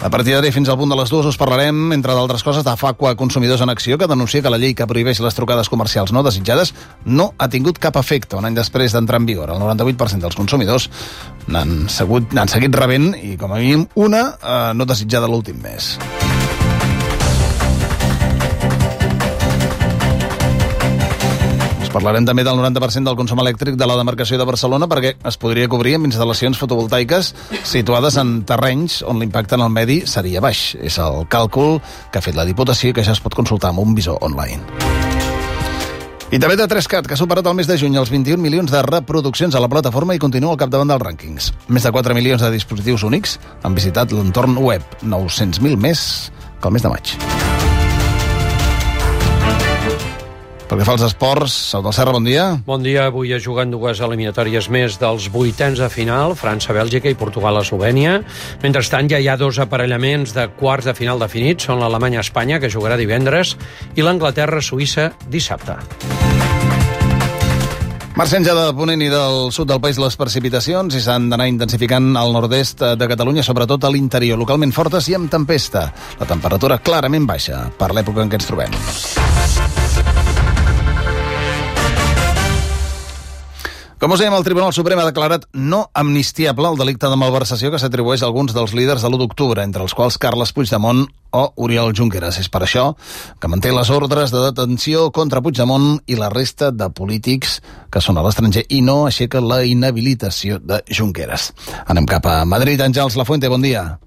A partir d'ara fins al punt de les 2 us parlarem, entre d'altres coses, de Facua Consumidors en Acció, que denuncia que la llei que prohibeix les trucades comercials no desitjades no ha tingut cap efecte un any després d'entrar en vigor. El 98% dels consumidors n'han seguit rebent i, com a mínim, una no desitjada l'últim mes. Parlarem també del 90% del consum elèctric de la demarcació de Barcelona perquè es podria cobrir amb instal·lacions fotovoltaiques situades en terrenys on l'impacte en el medi seria baix. És el càlcul que ha fet la Diputació i que ja es pot consultar amb un visor online. I també de 3CAT, que ha superat el mes de juny els 21 milions de reproduccions a la plataforma i continua al capdavant dels rànquings. Més de 4 milions de dispositius únics han visitat l'entorn web, 900.000 més que el mes de maig. Pel que fa als esports, Sau del Serra, bon dia. Bon dia. Avui es juguen 2 eliminatòries més dels 8ens de final, França-Bèlgica i Portugal-Eslovènia. Mentrestant, ja hi ha 2 aparellaments de quarts de final definits. Són l'Alemanya-Espanya, que jugarà divendres, i l'Anglaterra-Suïssa dissabte. Marxen ja de Ponent i del sud del país les precipitacions i s'han d'anar intensificant al nord-est de Catalunya, sobretot a l'interior, localment fortes i amb tempesta. La temperatura clarament baixa per l'època en què ens trobem. Com us dèiem, el Tribunal Suprem ha declarat no amnistiable el delicte de malversació que s'atribueix a alguns dels líders de l'1 d'octubre, entre els quals Carles Puigdemont o Oriol Junqueras. És per això que manté les ordres de detenció contra Puigdemont i la resta de polítics que són a l'estranger i no aixeca la inhabilitació de Junqueras. Anem cap a Madrid. Àngels Lafuente, bon dia.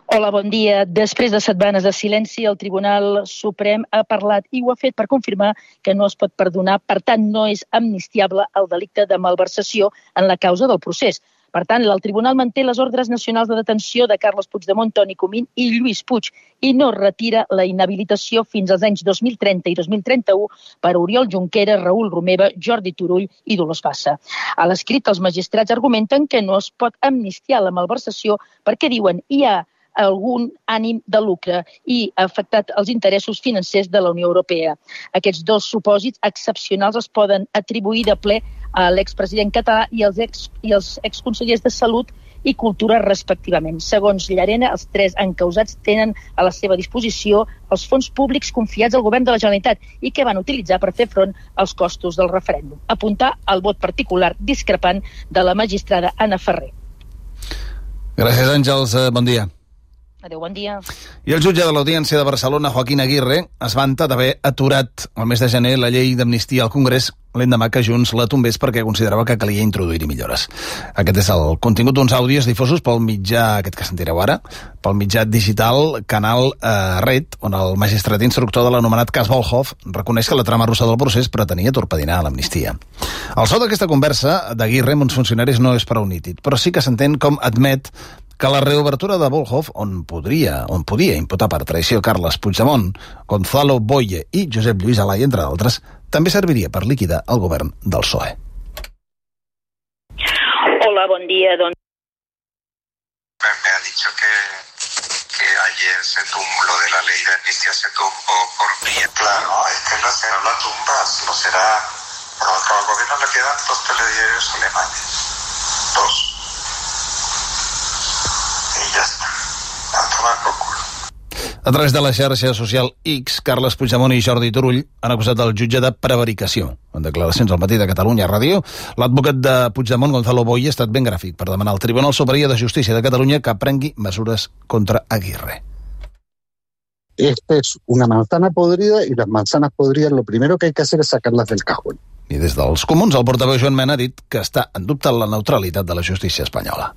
Hola, bon dia. Després de setmanes de silenci, el Tribunal Suprem ha parlat i ho ha fet per confirmar que no es pot perdonar, per tant, no és amnistiable el delicte de malversació en la causa del procés. Per tant, el Tribunal manté les ordres nacionals de detenció de Carles Puigdemont, Toni Comín i Lluís Puig i no retira la inhabilitació fins als anys 2030 i 2031 per Oriol Junqueras, Raül Romeva, Jordi Turull i Dolors Bassa. A l'escrit, els magistrats argumenten que no es pot amnistiar la malversació perquè diuen hi ha algun ànim de lucre i ha afectat els interessos financers de la Unió Europea. Aquests 2 supòsits excepcionals es poden atribuir de ple a l'expresident català i els exconsellers de Salut i Cultura, respectivament. Segons Llarena, els 3 encausats tenen a la seva disposició els fons públics confiats al govern de la Generalitat i que van utilitzar per fer front als costos del referèndum. Apuntar al vot particular discrepant de la magistrada Anna Ferrer. Gràcies, Àngels. Bon dia. Adéu, bon dia. I el jutge de l'Audiència de Barcelona, Joaquín Aguirre, es vanta d'haver aturat el mes de gener la llei d'amnistia al Congrés l'endemà que Junts la tombés perquè considerava que calia introduir-hi millores. Aquest és el contingut d'uns àudios difosos pel mitjà, aquest que sentireu ara, pel mitjà digital Canal Red, on el magistrat instructor de l'anomenat cas Volhov reconeix que la trama russa del procés pretenia torpedinar l'amnistia. El so d'aquesta conversa d'Aguirre amb uns funcionaris no és prou nítid, però sí que s'entén com admet que la reobertura de Volhov, on podia imputar per traïció Carles Puigdemont, Gonzalo Boye i Josep Lluís Alay, entre d'altres, també serviria per liquidar el govern del PSOE. Hola, bon dia. Me ha dicho que ayer se tumbó justicia se actuó un poco por vía. Claro, es que no será una tumba, no será... Al gobierno le quedan 2 telediarios alemanes. 2. Y ya está. A tomar por culo. A través de la xarxa social X, Carles Puigdemont i Jordi Turull han acusat el jutge de prevaricació. En declaracions al matí de Catalunya Ràdio, l'advocat de Puigdemont, Gonzalo Boye, ha estat ben gràfic per demanar al Tribunal Superior de Justícia de Catalunya que prengui mesures contra Aguirre. Esta es una manzana podrida y las manzanas podridas lo primero que hay que hacer es sacarlas del cajón. I des dels Comuns, el portaveu Joan Mena ha dit que està en dubte la neutralitat de la justícia espanyola.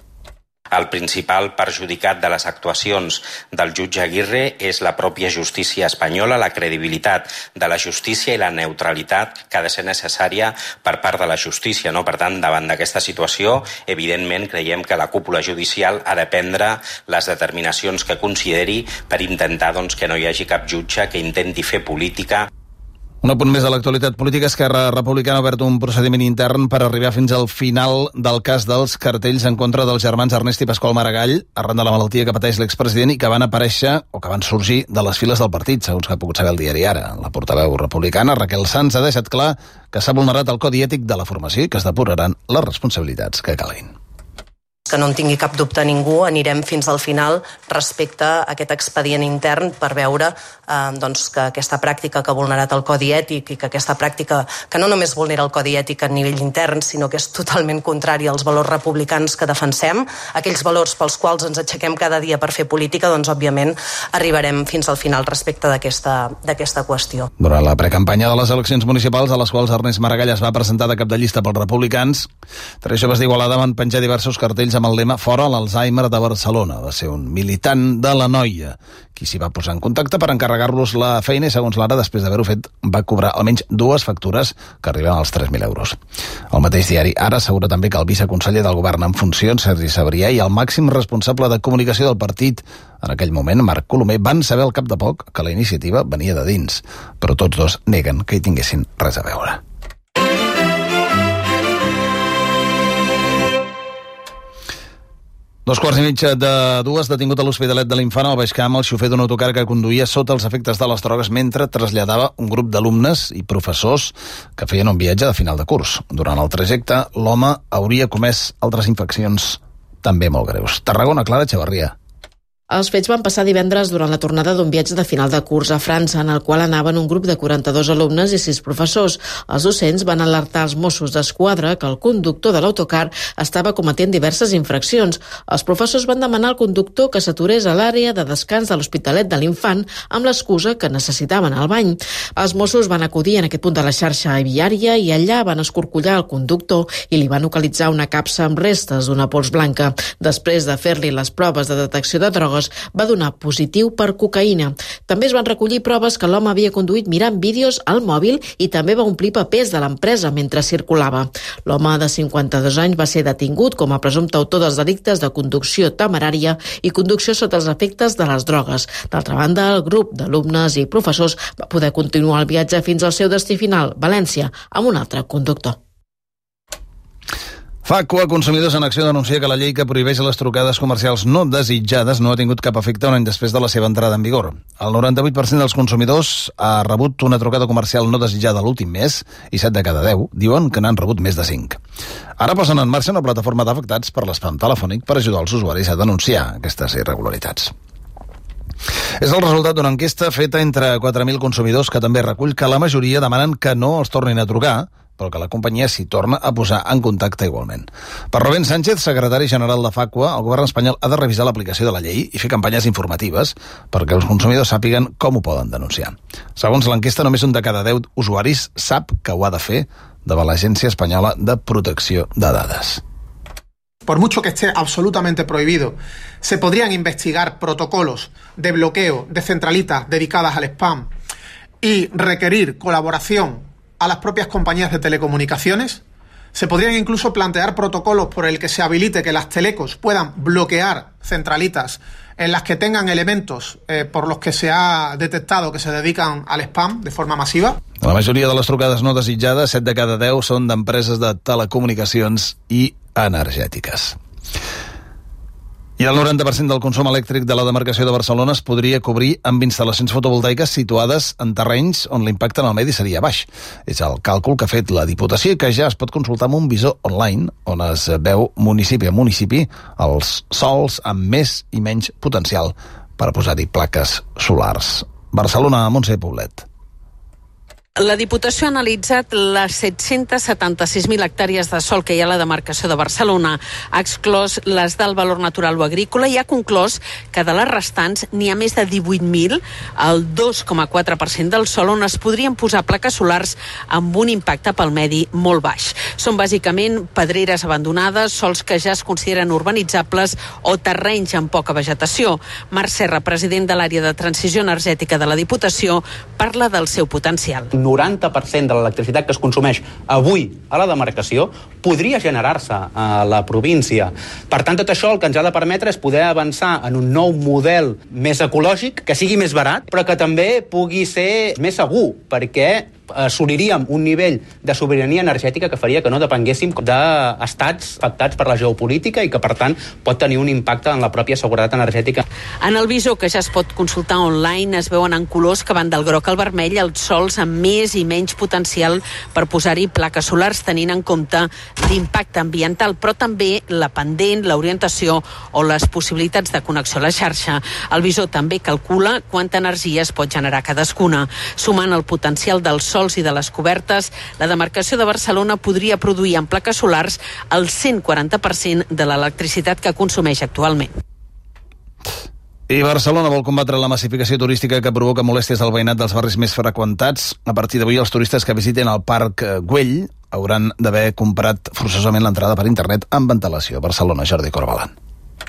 El principal perjudicat de les actuacions del jutge Aguirre és la pròpia justícia espanyola, la credibilitat de la justícia i la neutralitat que ha de ser necessària per part de la justícia. No? Per tant, davant d'aquesta situació, evidentment creiem que la cúpula judicial ha de prendre les determinacions que consideri per intentar que no hi hagi cap jutge que intenti fer política. Un apunt més de l'actualitat política. Esquerra Republicana ha obert un procediment intern per arribar fins al final del cas dels cartells en contra dels germans Ernest i Pasqual Maragall, arran de la malaltia que pateix l'expresident i que van aparèixer o que van sorgir de les files del partit, segons que ha pogut saber el diari Ara. La portaveu republicana, Raquel Sanz, ha deixat clar que s'ha vulnerat el codi ètic de la formació i que es depuraran les responsabilitats que calguin. Que no en tingui cap dubte ningú, anirem fins al final respecte a aquest expedient intern per veure que aquesta pràctica que ha vulnerat el codi ètic i que aquesta pràctica que no només vulnera el codi ètic a nivell intern, sinó que és totalment contrari als valors republicans que defensem, aquells valors pels quals ens aixequem cada dia per fer política, doncs òbviament arribarem fins al final respecte d'aquesta qüestió. Durant la precampanya de les eleccions municipals, a les quals Ernest Maragall es va presentar de cap de llista pels republicans, 3 joves d'Igualada van penjar diversos cartells amb el lema "Fora l'Alzheimer de Barcelona". Va ser un militant de la Noia qui s'hi va posar en contacte per encarregar-los la feina i, segons l'Ara, després d'haver-ho fet, va cobrar almenys 2 factures que arriben als 3.000 euros. El mateix diari Ara assegura també que el viceconseller del govern en funcions, Sergi Sabrià, i el màxim responsable de comunicació del partit en aquell moment, Marc Colomer, van saber al cap de poc que la iniciativa venia de dins, però tots dos neguen que hi tinguessin res a veure. Dos quarts i mitja de 2, detingut a l'Hospitalet de l'Infant al Baix Camp el xofer d'un autocar que conduïa sota els efectes de les drogues mentre traslladava un grup d'alumnes i professors que feien un viatge de final de curs. Durant el trajecte, l'home hauria comès altres infraccions també molt greus. Tarragona, Clara Echevarria. Els fets van passar divendres durant la tornada d'un viatge de final de curs a França, en el qual anaven un grup de 42 alumnes i 6 professors. Els docents van alertar els Mossos d'Esquadra que el conductor de l'autocar estava cometent diverses infraccions. Els professors van demanar al conductor que s'aturés a l'àrea de descans de l'Hospitalet de l'Infant amb l'excusa que necessitaven el bany. Els Mossos van acudir en aquest punt de la xarxa viària i allà van escorcollar el conductor i li van localitzar una capsa amb restes d'una pols blanca. Després de fer-li les proves de detecció de drogues, va donar positiu per cocaïna. També es van recollir proves que l'home havia conduït mirant vídeos al mòbil i també va omplir papers de l'empresa mentre circulava. L'home de 52 anys va ser detingut com a presumpte autor dels delictes de conducció temerària i conducció sota els efectes de les drogues. D'altra banda, el grup d'alumnes i professors va poder continuar el viatge fins al seu destí final, València, amb un altre conductor. Facua, Consumidors en Acció, denuncia que la llei que prohibeix les trucades comercials no desitjades no ha tingut cap efecte un any després de la seva entrada en vigor. El 98% dels consumidors ha rebut una trucada comercial no desitjada l'últim mes i 7 de cada 10 diuen que n'han rebut més de 5. Ara posen en marxa una plataforma d'afectats per l'espam telefònic per ajudar els usuaris a denunciar aquestes irregularitats. És el resultat d'una enquesta feta entre 4.000 consumidors que també recull que la majoria demanen que no els tornin a trucar, però que la companyia s'hi torna a posar en contacte igualment. Per Rubén Sánchez, secretari general de Facua, el govern espanyol ha de revisar l'aplicació de la llei i fer campanyes informatives perquè els consumidors sàpiguen com ho poden denunciar. Segons l'enquesta, només un de cada 10 usuaris sap que ho ha de fer davant l'Agència Espanyola de Protecció de Dades. Por mucho que esté absolutamente prohibido, se podrían investigar protocolos de bloqueo de centralitas dedicadas al spam y requerir colaboración a las propias compañías de telecomunicaciones. Se podrían incluso plantear protocolos por el que se habilite que las telecos puedan bloquear centralitas en las que tengan elementos por los que se ha detectado que se dedican al spam de forma masiva. La majoria de les trucades no desitjades, 7 de cada 10, són d'empreses de telecomunicacions i energètiques. I el 90% del consum elèctric de la demarcació de Barcelona es podria cobrir amb instal·lacions fotovoltaiques situades en terrenys on l'impacte en el medi seria baix. És el càlcul que ha fet la Diputació i que ja es pot consultar amb un visor online on es veu municipi a municipi els sols amb més i menys potencial per posar-hi plaques solars. Barcelona, Montse Poblet. La Diputació ha analitzat les 776.000 hectàrees de sòl que hi ha a la demarcació de Barcelona. Ha exclòs les del valor natural o agrícola i ha conclòs que de les restants n'hi ha més de 18.000, el 2,4% del sòl on es podrien posar plaques solars amb un impacte pel medi molt baix. Són bàsicament pedreres abandonades, sòls que ja es consideren urbanitzables o terrenys amb poca vegetació. Marc Serra, president de l'àrea de transició energètica de la Diputació, parla del seu potencial. 90% de l'electricitat que es consumeix avui a la demarcació podria generar-se a la província. Per tant, tot això el que ens ha de permetre és poder avançar en un nou model més ecològic, que sigui més barat, però que també pugui ser més segur, perquè assoliríem un nivell de sobirania energètica que faria que no depenguéssim d'estats afectats per la geopolítica i que, per tant, pot tenir un impacte en la pròpia seguretat energètica. En el visor, que ja es pot consultar online, es veuen en colors que van del groc al vermell els sols amb més i menys potencial per posar-hi plaques solars, tenint en compte l'impacte ambiental, però també la pendent, l'orientació o les possibilitats de connexió a la xarxa. El visor també calcula quanta energia es pot generar cadascuna. Sumant el potencial dels sols i de les cobertes, la demarcació de Barcelona podria produir en plaques solars el 140% de l'electricitat que consumeix actualment. I Barcelona vol combatre la massificació turística que provoca molèsties al veïnat dels barris més freqüentats. A partir d'avui, els turistes que visiten el Parc Güell hauran d'haver comprat forçosament l'entrada per internet amb ventilació. Barcelona, Jordi Corbalan.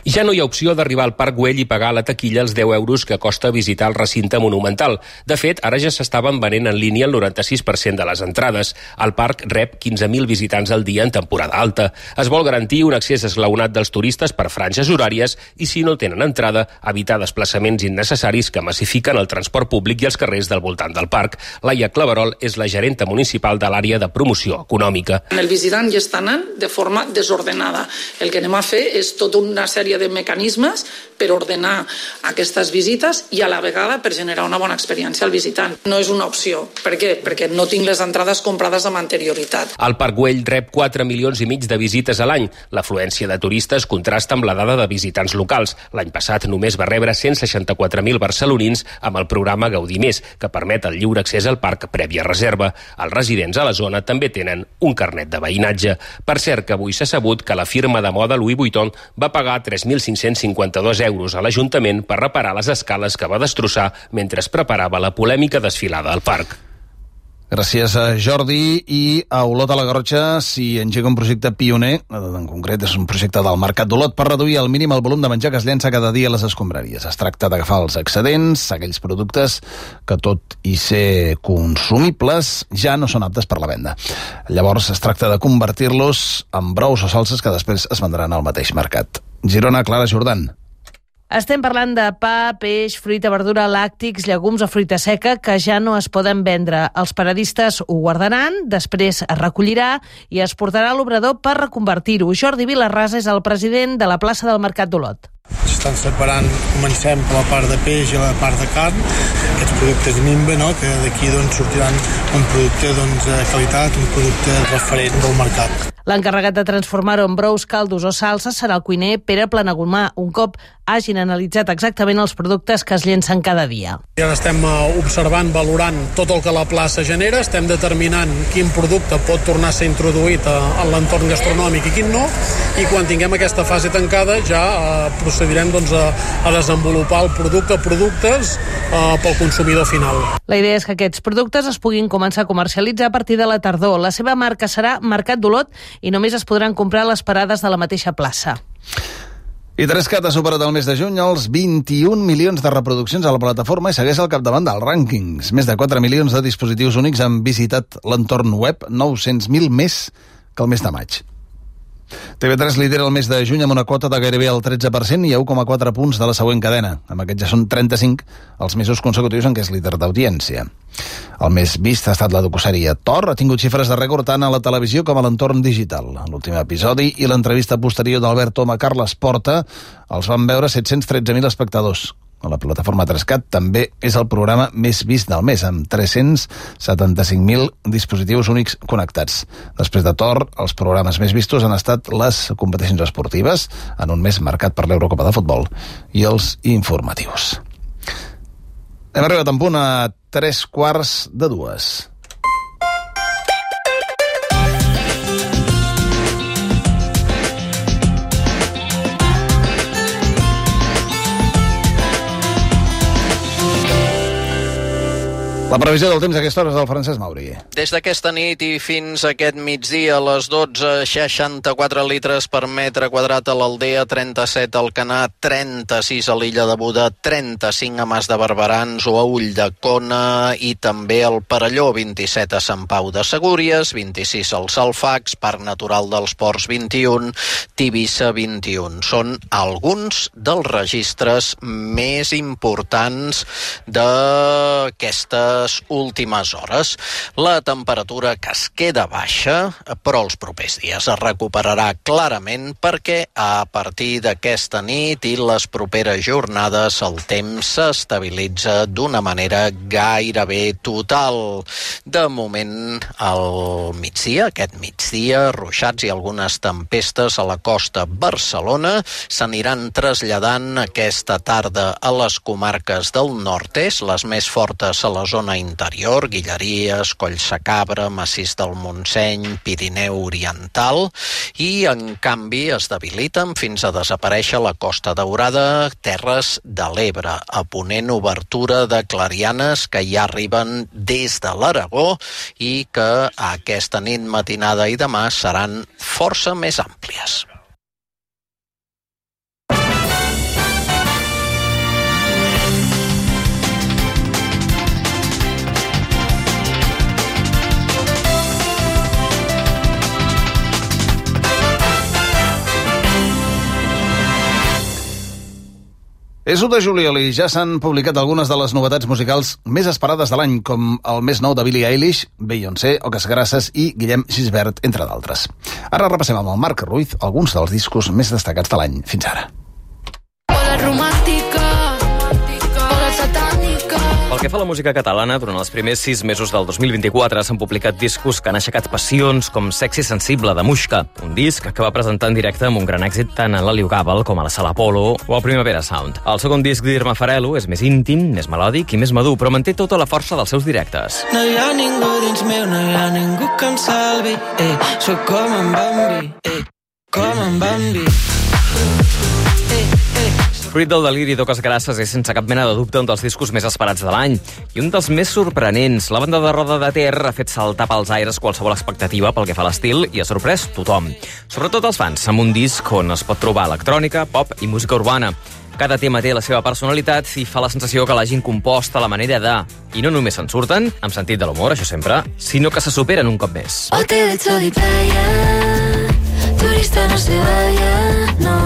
Ja no hi ha opció d'arribar al Parc Güell i pagar a la taquilla els 10 euros que costa visitar el recinte monumental. De fet, ara ja s'estaven venent en línia el 96% de les entrades. El parc rep 15.000 visitants al dia en temporada alta. Es vol garantir un accés esglaonat dels turistes per franges horàries i, si no tenen entrada, evitar desplaçaments innecessaris que massifiquen el transport públic i els carrers del voltant del parc. Laia Claverol és la gerenta municipal de l'àrea de promoció econòmica. El visitant ja està anant de forma desordenada. El que anem a fer és tota una sèrie de mecanismes per ordenar aquestes visites i a la vegada per generar una bona experiència al visitant. No és una opció. Per què? Perquè no tinc les entrades comprades amb anterioritat. El Parc Güell rep 4,5 milions de visites a l'any. L'afluència de turistes contrasta amb la dada de visitants locals. L'any passat només va rebre 164.000 barcelonins amb el programa Gaudir Més, que permet el lliure accés al parc prèvia reserva. Els residents a la zona també tenen un carnet de veïnatge. Per cert, que avui s'ha sabut que la firma de moda Louis Vuitton va pagar 3.552 euros a l'Ajuntament per reparar les escales que va destrossar mentre es preparava la polèmica desfilada al parc. Gràcies a Jordi. I a Olot a la Garrotxa s'hi engega un projecte pioner, en concret és un projecte del Mercat d'Olot, per reduir al mínim el volum de menjar que es llença cada dia a les escombraries. Es tracta d'agafar els excedents, aquells productes que, tot i ser consumibles, ja no són aptes per la venda. Llavors es tracta de convertir-los en brous o salses que després es vendran al mateix mercat. Girona, Clara Jordan. Estem parlant de pa, peix, fruita, verdura, làctics, llegums o fruita seca que ja no es poden vendre. Els paradistes ho guardaran, després es recollirà i es portarà a l'obrador per reconvertir-ho. Jordi Vilarrasa és el president de la plaça del Mercat d'Olot. S'estan separant, comencem per la part de peix i la part de carn, aquests productes Nimba, no? Que d'aquí sortiran un producte de qualitat, un producte referent del mercat. L'encarregat de transformar-ho en brous, caldos o salses serà el cuiner Pere Planagumà, un cop hagin analitzat exactament els productes que es llencen cada dia. I ara estem observant, valorant tot el que la plaça genera, estem determinant quin producte pot tornar a ser introduït en l'entorn gastronòmic i quin no, i quan tinguem aquesta fase tancada ja procedirem a desenvolupar el producte, productes pel consumidor final. La idea és que aquests productes es puguin començar a comercialitzar a partir de la tardor. La seva marca serà Mercat d'Olot i només es podran comprar a les parades de la mateixa plaça. I 3CAT ha superat el mes de juny els 21 milions de reproduccions a la plataforma i segueix al capdavant dels rànquings. Més de 4 milions de dispositius únics han visitat l'entorn web, 900.000 més que el mes de maig. TV3 lidera el mes de juny amb una quota de gairebé el 13% i a 1,4 punts de la següent cadena. Amb aquests ja són 35 els mesos consecutius en què és líder d'audiència. El més vist ha estat la docusèrie Thor, ha tingut xifres de rècord tant a la televisió com a l'entorn digital. L'últim episodi i l'entrevista posterior d'Albert Tom a Carles Porta els van veure 713.000 espectadors. A la plataforma 3CAT també és el programa més vist del mes, amb 375.000 dispositius únics connectats. Després de Thor, els programes més vistos han estat les competicions esportives, en un mes marcat per l'Eurocopa de Futbol, i els informatius. Hem arribat en punt a 3:15. La previsió del temps a aquesta hora és del Francesc Mauri. Des d'aquesta nit i fins aquest migdia, a les 12, 64 litres per metre quadrat a l'Aldea, 37 al Canà, 36 a l'Illa de Buda, 35 a Mas de Barberans o a Ulldecona i també al Perelló, 27 a Sant Pau de Segúries, 26 als Alfacs, Parc Natural dels Ports, 21, Tivissa, 21. Són alguns dels registres més importants d'aquestes últimes hores. La temperatura que es queda baixa, però els propers dies es recuperarà clarament perquè a partir d'aquesta nit i les properes jornades el temps s'estabilitza d'una manera gairebé total. De moment, al migdia, aquest migdia, ruixats i algunes tempestes a la costa Barcelona s'aniran traslladant aquesta tarda a les comarques del nord-est, les més fortes a la zona interior, Guilleries, Collsacabra, Massís del Montseny, Pirineu Oriental, i en canvi es debiliten fins a desaparèixer la Costa Daurada, Terres de l'Ebre, a ponent obertura de clarianes que ja arriben des de l'Aragó i que aquesta nit, matinada i demà seran força més àmplies. És 1 de juliol i ja s'han publicat algunes de les novetats musicals més esperades de l'any, com el més nou de Billie Eilish, Beyoncé, Oques Grasses i Guillem Gisbert, entre d'altres. Ara repassem amb el Marc Ruiz alguns dels discos més destacats de l'any fins ara. Hola romàntica, hola satànica. Pel que fa a la música catalana, durant els primers 6 mesos del 2024 s'han publicat discos que han aixecat passions com Sexy Sensible de Muixca, un disc que va presentar en directe amb un gran èxit tant a l'Aliu Gàbal com a la Sala Apolo o al Primavera Sound. El segon disc d'Irma Farelo és més íntim, més melòdic i més madur, però manté tota la força dels seus directes. No hi ha ningú dins meu, no hi ha ningú que em salvi, soc com en Bambi, com en Bambi. Fruit del deliri d'Oques Grasses és sense cap mena de dubte un dels discos més esperats de l'any i un dels més sorprenents. La banda de Roda de Ter ha fet saltar pels aires qualsevol expectativa pel que fa a l'estil i ha sorprès tothom, sobretot els fans, amb un disc on es pot trobar electrònica, pop i música urbana. Cada tema té la seva personalitat i fa la sensació que l'hagin compost a la manera de... I no només se'n surten, amb sentit de l'humor, això sempre, sinó que se superen un cop més. Hotel de sol y playa, turista no se vaya, no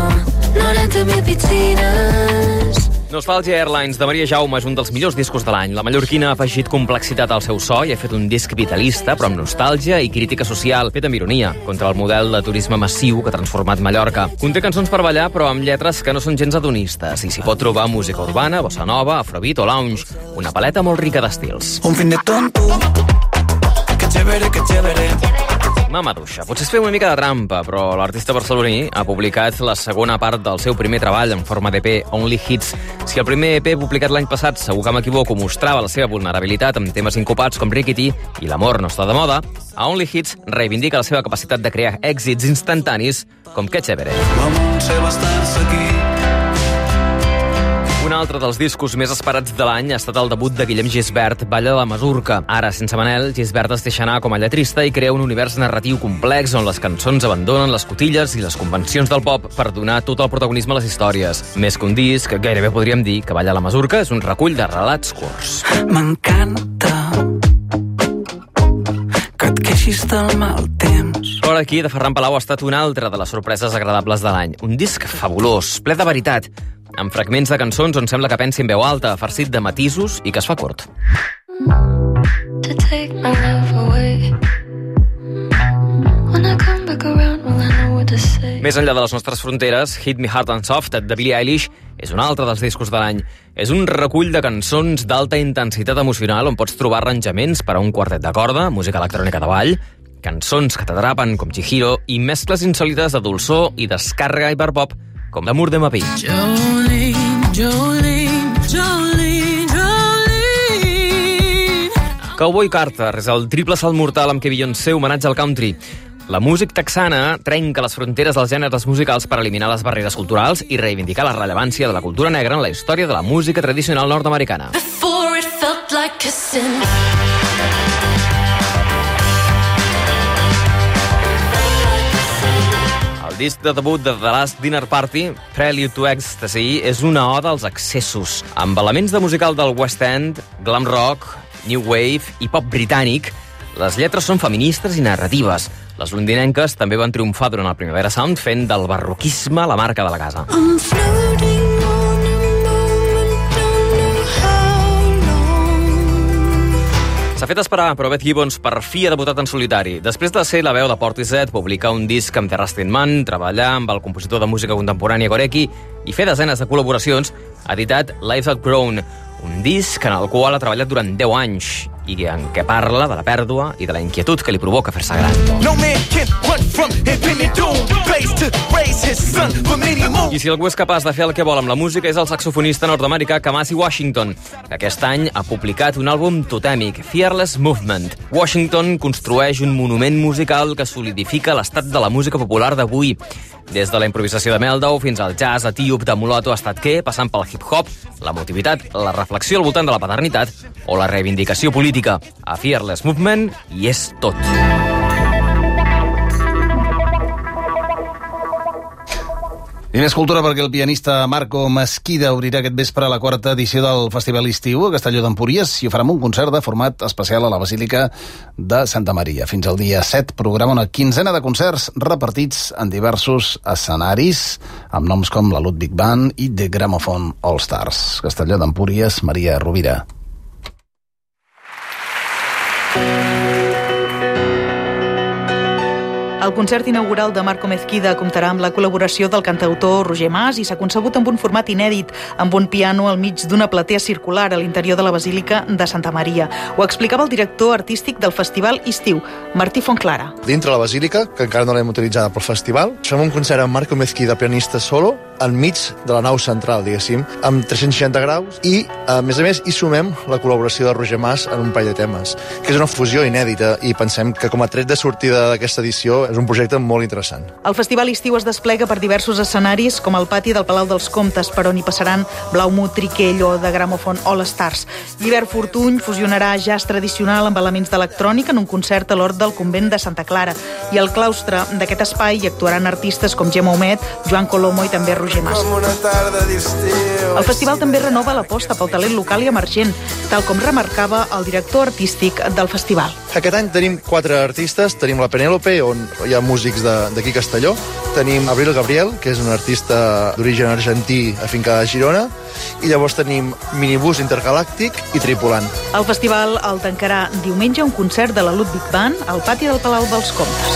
90.000 piscines. Nostalgia Airlines de Maria Jaume és un dels millors discos de l'any. La mallorquina ha afegit complexitat al seu so i ha fet un disc vitalista, però amb nostàlgia i crítica social, fet amb ironia, contra el model de turisme massiu que ha transformat Mallorca. Conté cançons per ballar, però amb lletres que no són gens hedonistes, i s'hi pot trobar música urbana, bossa nova, afrobeat o lounge, una paleta molt rica d'estils. Un fin de tonto, que chévere, que chévere. Mamaduixa. Potser es feia una mica de trampa, però l'artista barceloní ha publicat la segona part del seu primer treball en forma d'EP, Only Hits. Si el primer EP publicat l'any passat, segur que m'equivoco, mostrava la seva vulnerabilitat amb temes incopats com Rickety i L'amor no està de moda, a Only Hits reivindica la seva capacitat de crear èxits instantanis com Que chévere. Un altre dels discos més esperats de l'any ha estat el debut de Guillem Gisbert, Balla de la Masurca. Ara, sense Manel, Gisbert es deixa anar com a lletrista i crea un univers narratiu complex on les cançons abandonen les cotilles i les convencions del pop per donar tot el protagonisme a les històries. Més que un disc, gairebé podríem dir que Balla de la Masurca és un recull de relats curts. M'encanta que et queixis del mal temps. Però sonora aquí de Ferran Palau ha estat una altra de les sorpreses agradables de l'any. Un disc fabulós, ple de veritat, amb fragments de cançons on sembla que pensi en veu alta, farcit de matisos i que es fa curt. To take my love away. When I come back around, will I know what to say? Més enllà de les nostres fronteres, Hit Me Hard and Soft, de Billie Eilish, és un altre dels discos de l'any. És un recull de cançons d'alta intensitat emocional on pots trobar arranjaments per a un quartet de corda, música electrònica de ball, cançons que t'atrapen com Chihiro i mescles insòlites de dolçor i descàrrega hiperpop com L'amour de ma vie. Jolene, Jolene, Jolene, Jolene. Cowboy Carter és el triple salt mortal amb què Beyoncé homenatja al country. La música texana trenca les fronteres dels gèneres musicals per eliminar les barreres culturals i reivindicar la rellevància de la cultura negra en la història de la música tradicional nord-americana. Before it felt like kissing. El disc de debut de The Last Dinner Party, Prelude to Ecstasy, és una oda als excessos. Amb elements de musical del West End, glam rock, new wave i pop britànic, les lletres són feministes i narratives. Les londinenques també van triomfar durant el Primavera Sound fent del barroquisme la marca de la casa. I'm floating on a moment, don't know how long. S'ha fet esperar, però Beth Gibbons per fi ha debutat en solitari. Després de ser la veu de Portishead, publicar un disc amb The Rustin Man, treballar amb el compositor de música contemporània Gorecki i fer desenes de col·laboracions, ha editat Life's Outgrown, un disc en el qual ha treballat durant 10 anys i en què parla de la pèrdua i de la inquietud que li provoca fer-se gran. I si algú és capaç de fer el que vol amb la música és el saxofonista nord-americà Kamasi Washington, que aquest any ha publicat un àlbum totèmic, Fearless Movement. Washington construeix un monument musical que solidifica l'estat de la música popular d'avui, des de la improvisació de Meldau fins al jazz etíop de Mulatto Statke, passant pel hip-hop, l'emotivitat, la reflexió al voltant de la paternitat o la reivindicació política. A Fearless Movement hi és tot. I més cultura perquè el pianista Marco Mesquida obrirà aquest vespre la 4ª edició del Festival Estiu a Castelló d'Empúries i ho farà amb un concert de format especial a la Basílica de Santa Maria. Fins al dia 7 programa una quinzena de concerts repartits en diversos escenaris amb noms com la Ludwig Band i The Gramophone All Stars. Castelló d'Empúries, Maria Rovira. El concert inaugural de Marco Mesquida comptarà amb la col·laboració del cantautor Roger Mas i s'ha concebut amb un format inèdit, amb un piano al mig d'una platea circular a l'interior de la Basílica de Santa Maria. Ho explicava el director artístic del Festival Estiu, Martí Fontclara. Dintre la Basílica, que encara no l'hem utilitzada pel festival, fem un concert amb Marco Mesquida, pianista solo, enmig de la nau central, diguéssim, amb 360 graus i, a més, hi sumem la col·laboració de Roger Mas en un parell de temes, que és una fusió inèdita i pensem que com a tret de sortida d'aquesta edició és un projecte molt interessant. El Festival Estiu es desplega per diversos escenaris, com el pati del Palau dels Comtes, per on hi passaran Blaumut, Triquell o The Gramophone All Stars. Llibert Fortuny fusionarà jazz tradicional amb elements d'electrònica en un concert a l'hort del convent de Santa Clara. I al claustre d'aquest espai hi actuaran artistes com Gemma Humet, Joan Colomo i també Roger Mas. El festival també renova l'aposta pel talent local i emergent, tal com remarcava el director artístic del festival. Aquest any tenim 4 artistes, tenim la Penélope, on hi ha músics d'aquí Castelló, tenim Abril Gabriel, que és un artista d'origen argentí afincada a Girona, i llavors tenim Minibús Intergalàctic i Tripulant. El festival el tancarà diumenge un concert de la Ludwig Band al pati del Palau dels Comtes.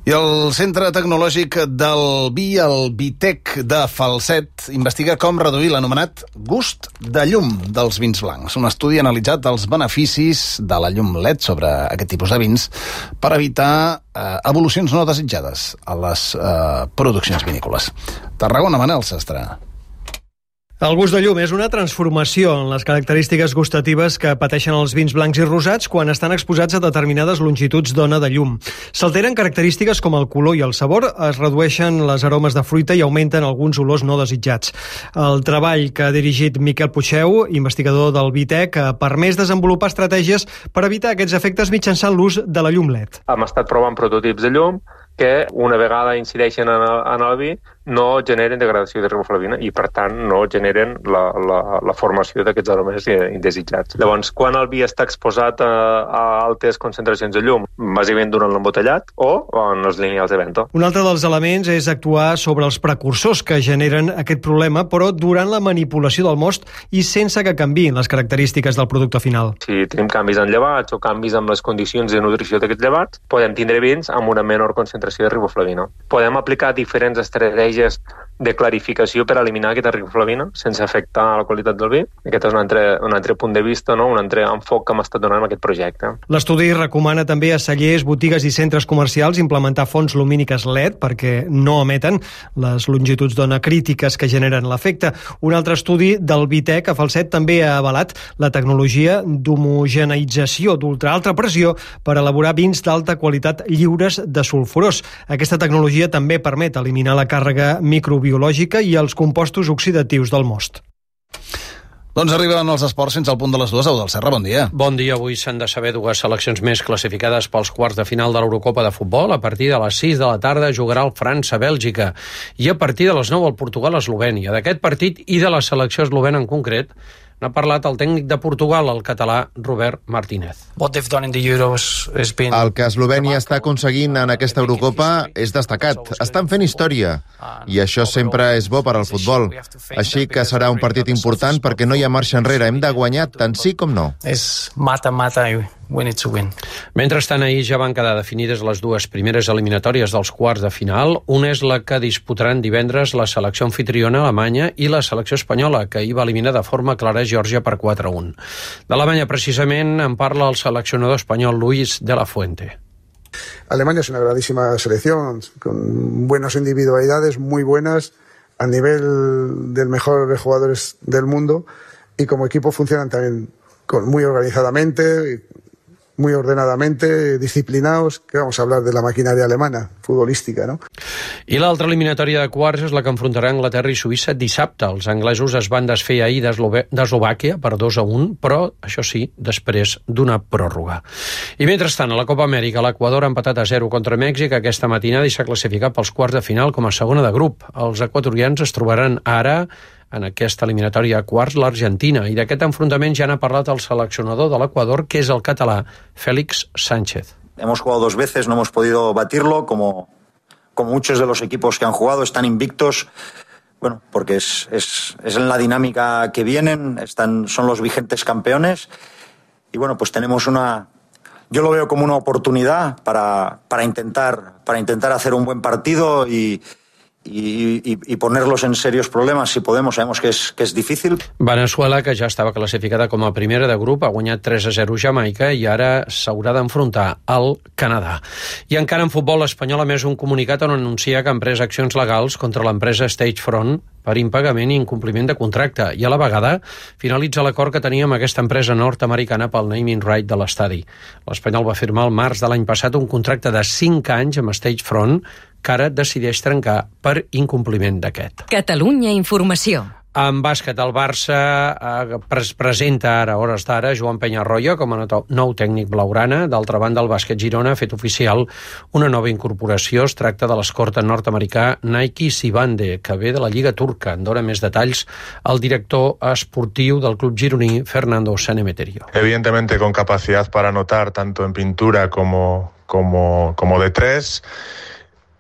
I el Centre Tecnològic del Vi, el Vitec de Falset, investiga com reduir l'anomenat gust de llum dels vins blancs. Un estudi ha analitzat els beneficis de la llum LED sobre aquest tipus de vins per evitar evolucions no desitjades a les produccions vinícoles. Tarragona, Manel Sastre. El gust de llum és una transformació en les característiques gustatives que pateixen els vins blancs i rosats quan estan exposats a determinades longituds d'ona de llum. S'alteren característiques com el color i el sabor, es redueixen les aromes de fruita i augmenten alguns olors no desitjats. El treball que ha dirigit Miquel Puigdeu, investigador del Vitec, ha permès desenvolupar estratègies per evitar aquests efectes mitjançant l'ús de la llum LED. Hem estat provant prototips de llum que una vegada incideixen en el vi no generen degradació de riboflavina i, per tant, no generen la formació d'aquests aromes indesitjats. Llavors, quan el vi està exposat a altes concentracions de llum, bàsicament durant l'embotellat o en els lineals de vento. Un altre dels elements és actuar sobre els precursors que generen aquest problema, però durant la manipulació del most i sense que canviïn les característiques del producte final. Si tenim canvis en llevats o canvis en les condicions de nutrició d'aquests llevats, podem tindre vins amb una menor concentració de riboflavina. Podem aplicar diferents estratègies de clarificació per eliminar aquesta riboflavina sense afectar la qualitat del vi. Aquest és un altre punt de vista, no? Un altre enfoc que hem estat donant en aquest projecte. L'estudi recomana també a cellers, botigues i centres comercials implementar fonts lumíniques LED perquè no emeten les longituds d'ona crítiques que generen l'efecte. Un altre estudi del Vitec a Falset també ha avalat la tecnologia d'homogeneïtzació d'ultraalta pressió per elaborar vins d'alta qualitat lliures de sulfurós. Aquesta tecnologia també permet eliminar la càrrega microbiològica i els compostos oxidatius del most. Doncs arriben els esports fins al punt de les 2. Eudald Serra, bon dia. Bon dia. Avui s'han de saber dues seleccions més classificades pels quarts de final de l'Eurocopa de futbol. A partir de les 6 de la tarda jugarà el França-Bèlgica i a partir de les 9 el Portugal-Eslovènia. D'aquest partit i de la selecció eslovena en concret n'ha parlat el tècnic de Portugal, el català Robert Martínez. El que Eslovènia està aconseguint en aquesta Eurocopa és destacat. Estan fent història i això sempre és bo per al futbol. Així que serà un partit important perquè no hi ha marxa enrere. Hem de guanyar tant sí com no. És mata-mata i we need to win. Mentrestant, ahir ja van quedar definides les dues primeres eliminatòries dels quarts de final. Una és la que disputaran divendres la selecció anfitriona alemanya i la selecció espanyola, que ahir va eliminar de forma clara Geòrgia per 4-1. D'Alemanya, precisament, en parla el seleccionador espanyol Luis de la Fuente. Alemania es una grandísima selección, con buenas individualidades, muy buenas, a nivel del mejor de jugadores del mundo, y como equipo funcionan también muy organizadamente, muy ordenadamente, disciplinados, que vamos a hablar de la maquinaria alemana, futbolística, no? I l'altra eliminatòria de quarts és la que enfrontarà Anglaterra i Suïssa dissabte. Els anglesos es van desfer ahir d'Eslovàquia per 2-1, però, això sí, després d'una pròrroga. I mentrestant, a la Copa Amèrica, l'Equador ha empatat a 0 contra Mèxic aquesta matinada i s'ha classificat pels quarts de final com a segona de grup. Els equatorians es trobaran ara en aquesta eliminatòria a quarts l'Argentina, i d'aquest enfrontament ja n'ha parlat el seleccionador de l'Equador, que és el català Félix Sánchez. Hemos jugado 2 veces, no hemos podido batirlo, como muchos de los equipos que han jugado, están invictos, bueno, porque es en la dinámica que vienen, son los vigentes campeones, y bueno, pues tenemos yo lo veo como una oportunidad para intentar hacer un buen partido y ponerlos en serios problemas si podemos. Sabemos que es difícil. Veneçuela, que ja estava classificada com a primera de grup, ha guanyat 3-0 Jamaica i ara s'haurà d'enfrontar al Canadà. I encara en futbol, l'Espanyol ha emès un comunicat on anuncia que ha emprès accions legals contra l'empresa Stagefront per impagament i incompliment de contracte, i a la vegada finalitza l'acord que tenia amb aquesta empresa nord-americana pel naming right de l'estadi. L'Espanyol va firmar el març de l'any passat un contracte de 5 anys amb Stagefront, que ara decideix trencar per incompliment d'aquest. Catalunya Informació. En bàsquet, el Barça presenta ara, a hores d'ara, Joan Peñarroya com a nou tècnic blaugrana. D'altra banda, el bàsquet Girona ha fet oficial una nova incorporació. Es tracta de l'escorta nord-americà Nike Sibande, que ve de la Lliga Turca. En dona més detalls el director esportiu del club gironí, Fernando Sanemeterio. Evidentemente con capacidad para anotar tanto en pintura como de 3,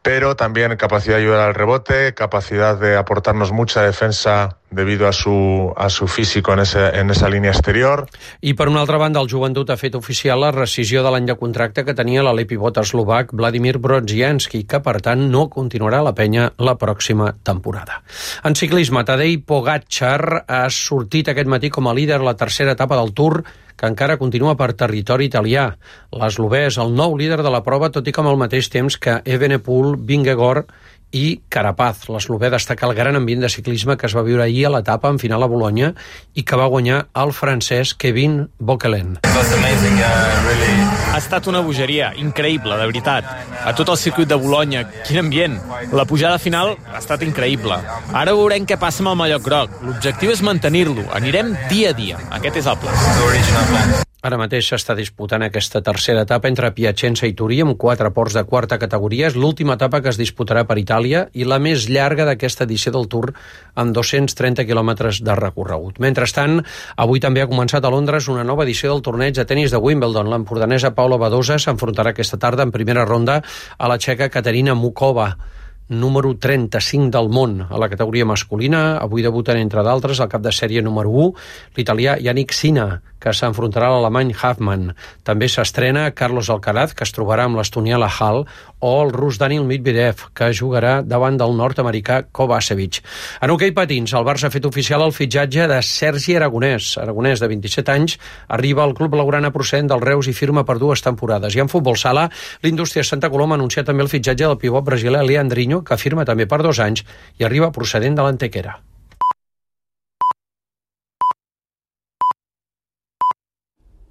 pero también capacidad de ayudar al rebote, capacidad de aportarnos mucha defensa debido a su físico en esa línia exterior. I per una altra banda, el Joventut ha fet oficial la rescisió de l'any de contracte que tenia l'alè pivot eslovac Vladimir Brodzianski, que per tant no continuarà a la penya la pròxima temporada. En ciclisme, Tadej Pogačar ha sortit aquest matí com a líder a la tercera etapa del Tour, que encara continua per territori italià. L'eslovè és el nou líder de la prova, tot i que amb el mateix temps que Evenepoel, Vingegaard i Carapaz. L'eslovè destaca el gran ambient de ciclisme que es va viure ahir a l'etapa en final a Bolonya i que va guanyar el francès Kevin Bokelen. Ha estat una bogeria, increïble, de veritat. A tot el circuit de Bolonya, quin ambient. La pujada final ha estat increïble. Ara veurem què passa amb el mallot groc. L'objectiu és mantenir-lo. Anirem dia a dia. Aquest és el pla. Ara mateix s'està disputant aquesta tercera etapa entre Piacenza i Turí amb 4 ports de quarta categoria. És l'última etapa que es disputarà per Itàlia i la més llarga d'aquesta edició del Tour amb 230 quilòmetres de recorregut. Mentrestant, avui també ha començat a Londres una nova edició del torneig de tenis de Wimbledon. L'empordanesa Paula Badosa s'enfrontarà aquesta tarda en primera ronda a la txeca Katerina Mukova, número 35 del món a la categoria masculina. Avui debuten, entre d'altres, el cap de sèrie número 1, l'italià Yannick Sinner, que s'enfrontarà a l'alemany Hafman. També s'estrena Carlos Alcaraz, que es trobarà amb l'estonià Hall, o el rus Daniil Medvedev, que jugarà davant del nord-americà Kovacevic. En hoquei patins, el Barça ha fet oficial el fitxatge de Sergi Aragonès. Aragonès, de 27 anys, arriba al club blaugrana procedent del Reus i firma per 2 temporades. I en futbol sala, l'Indústria Santa Coloma ha anunciat també el fitxatge del pivot brasiler Leandrinho, que firma també per 2 anys i arriba procedent de l'Antequera.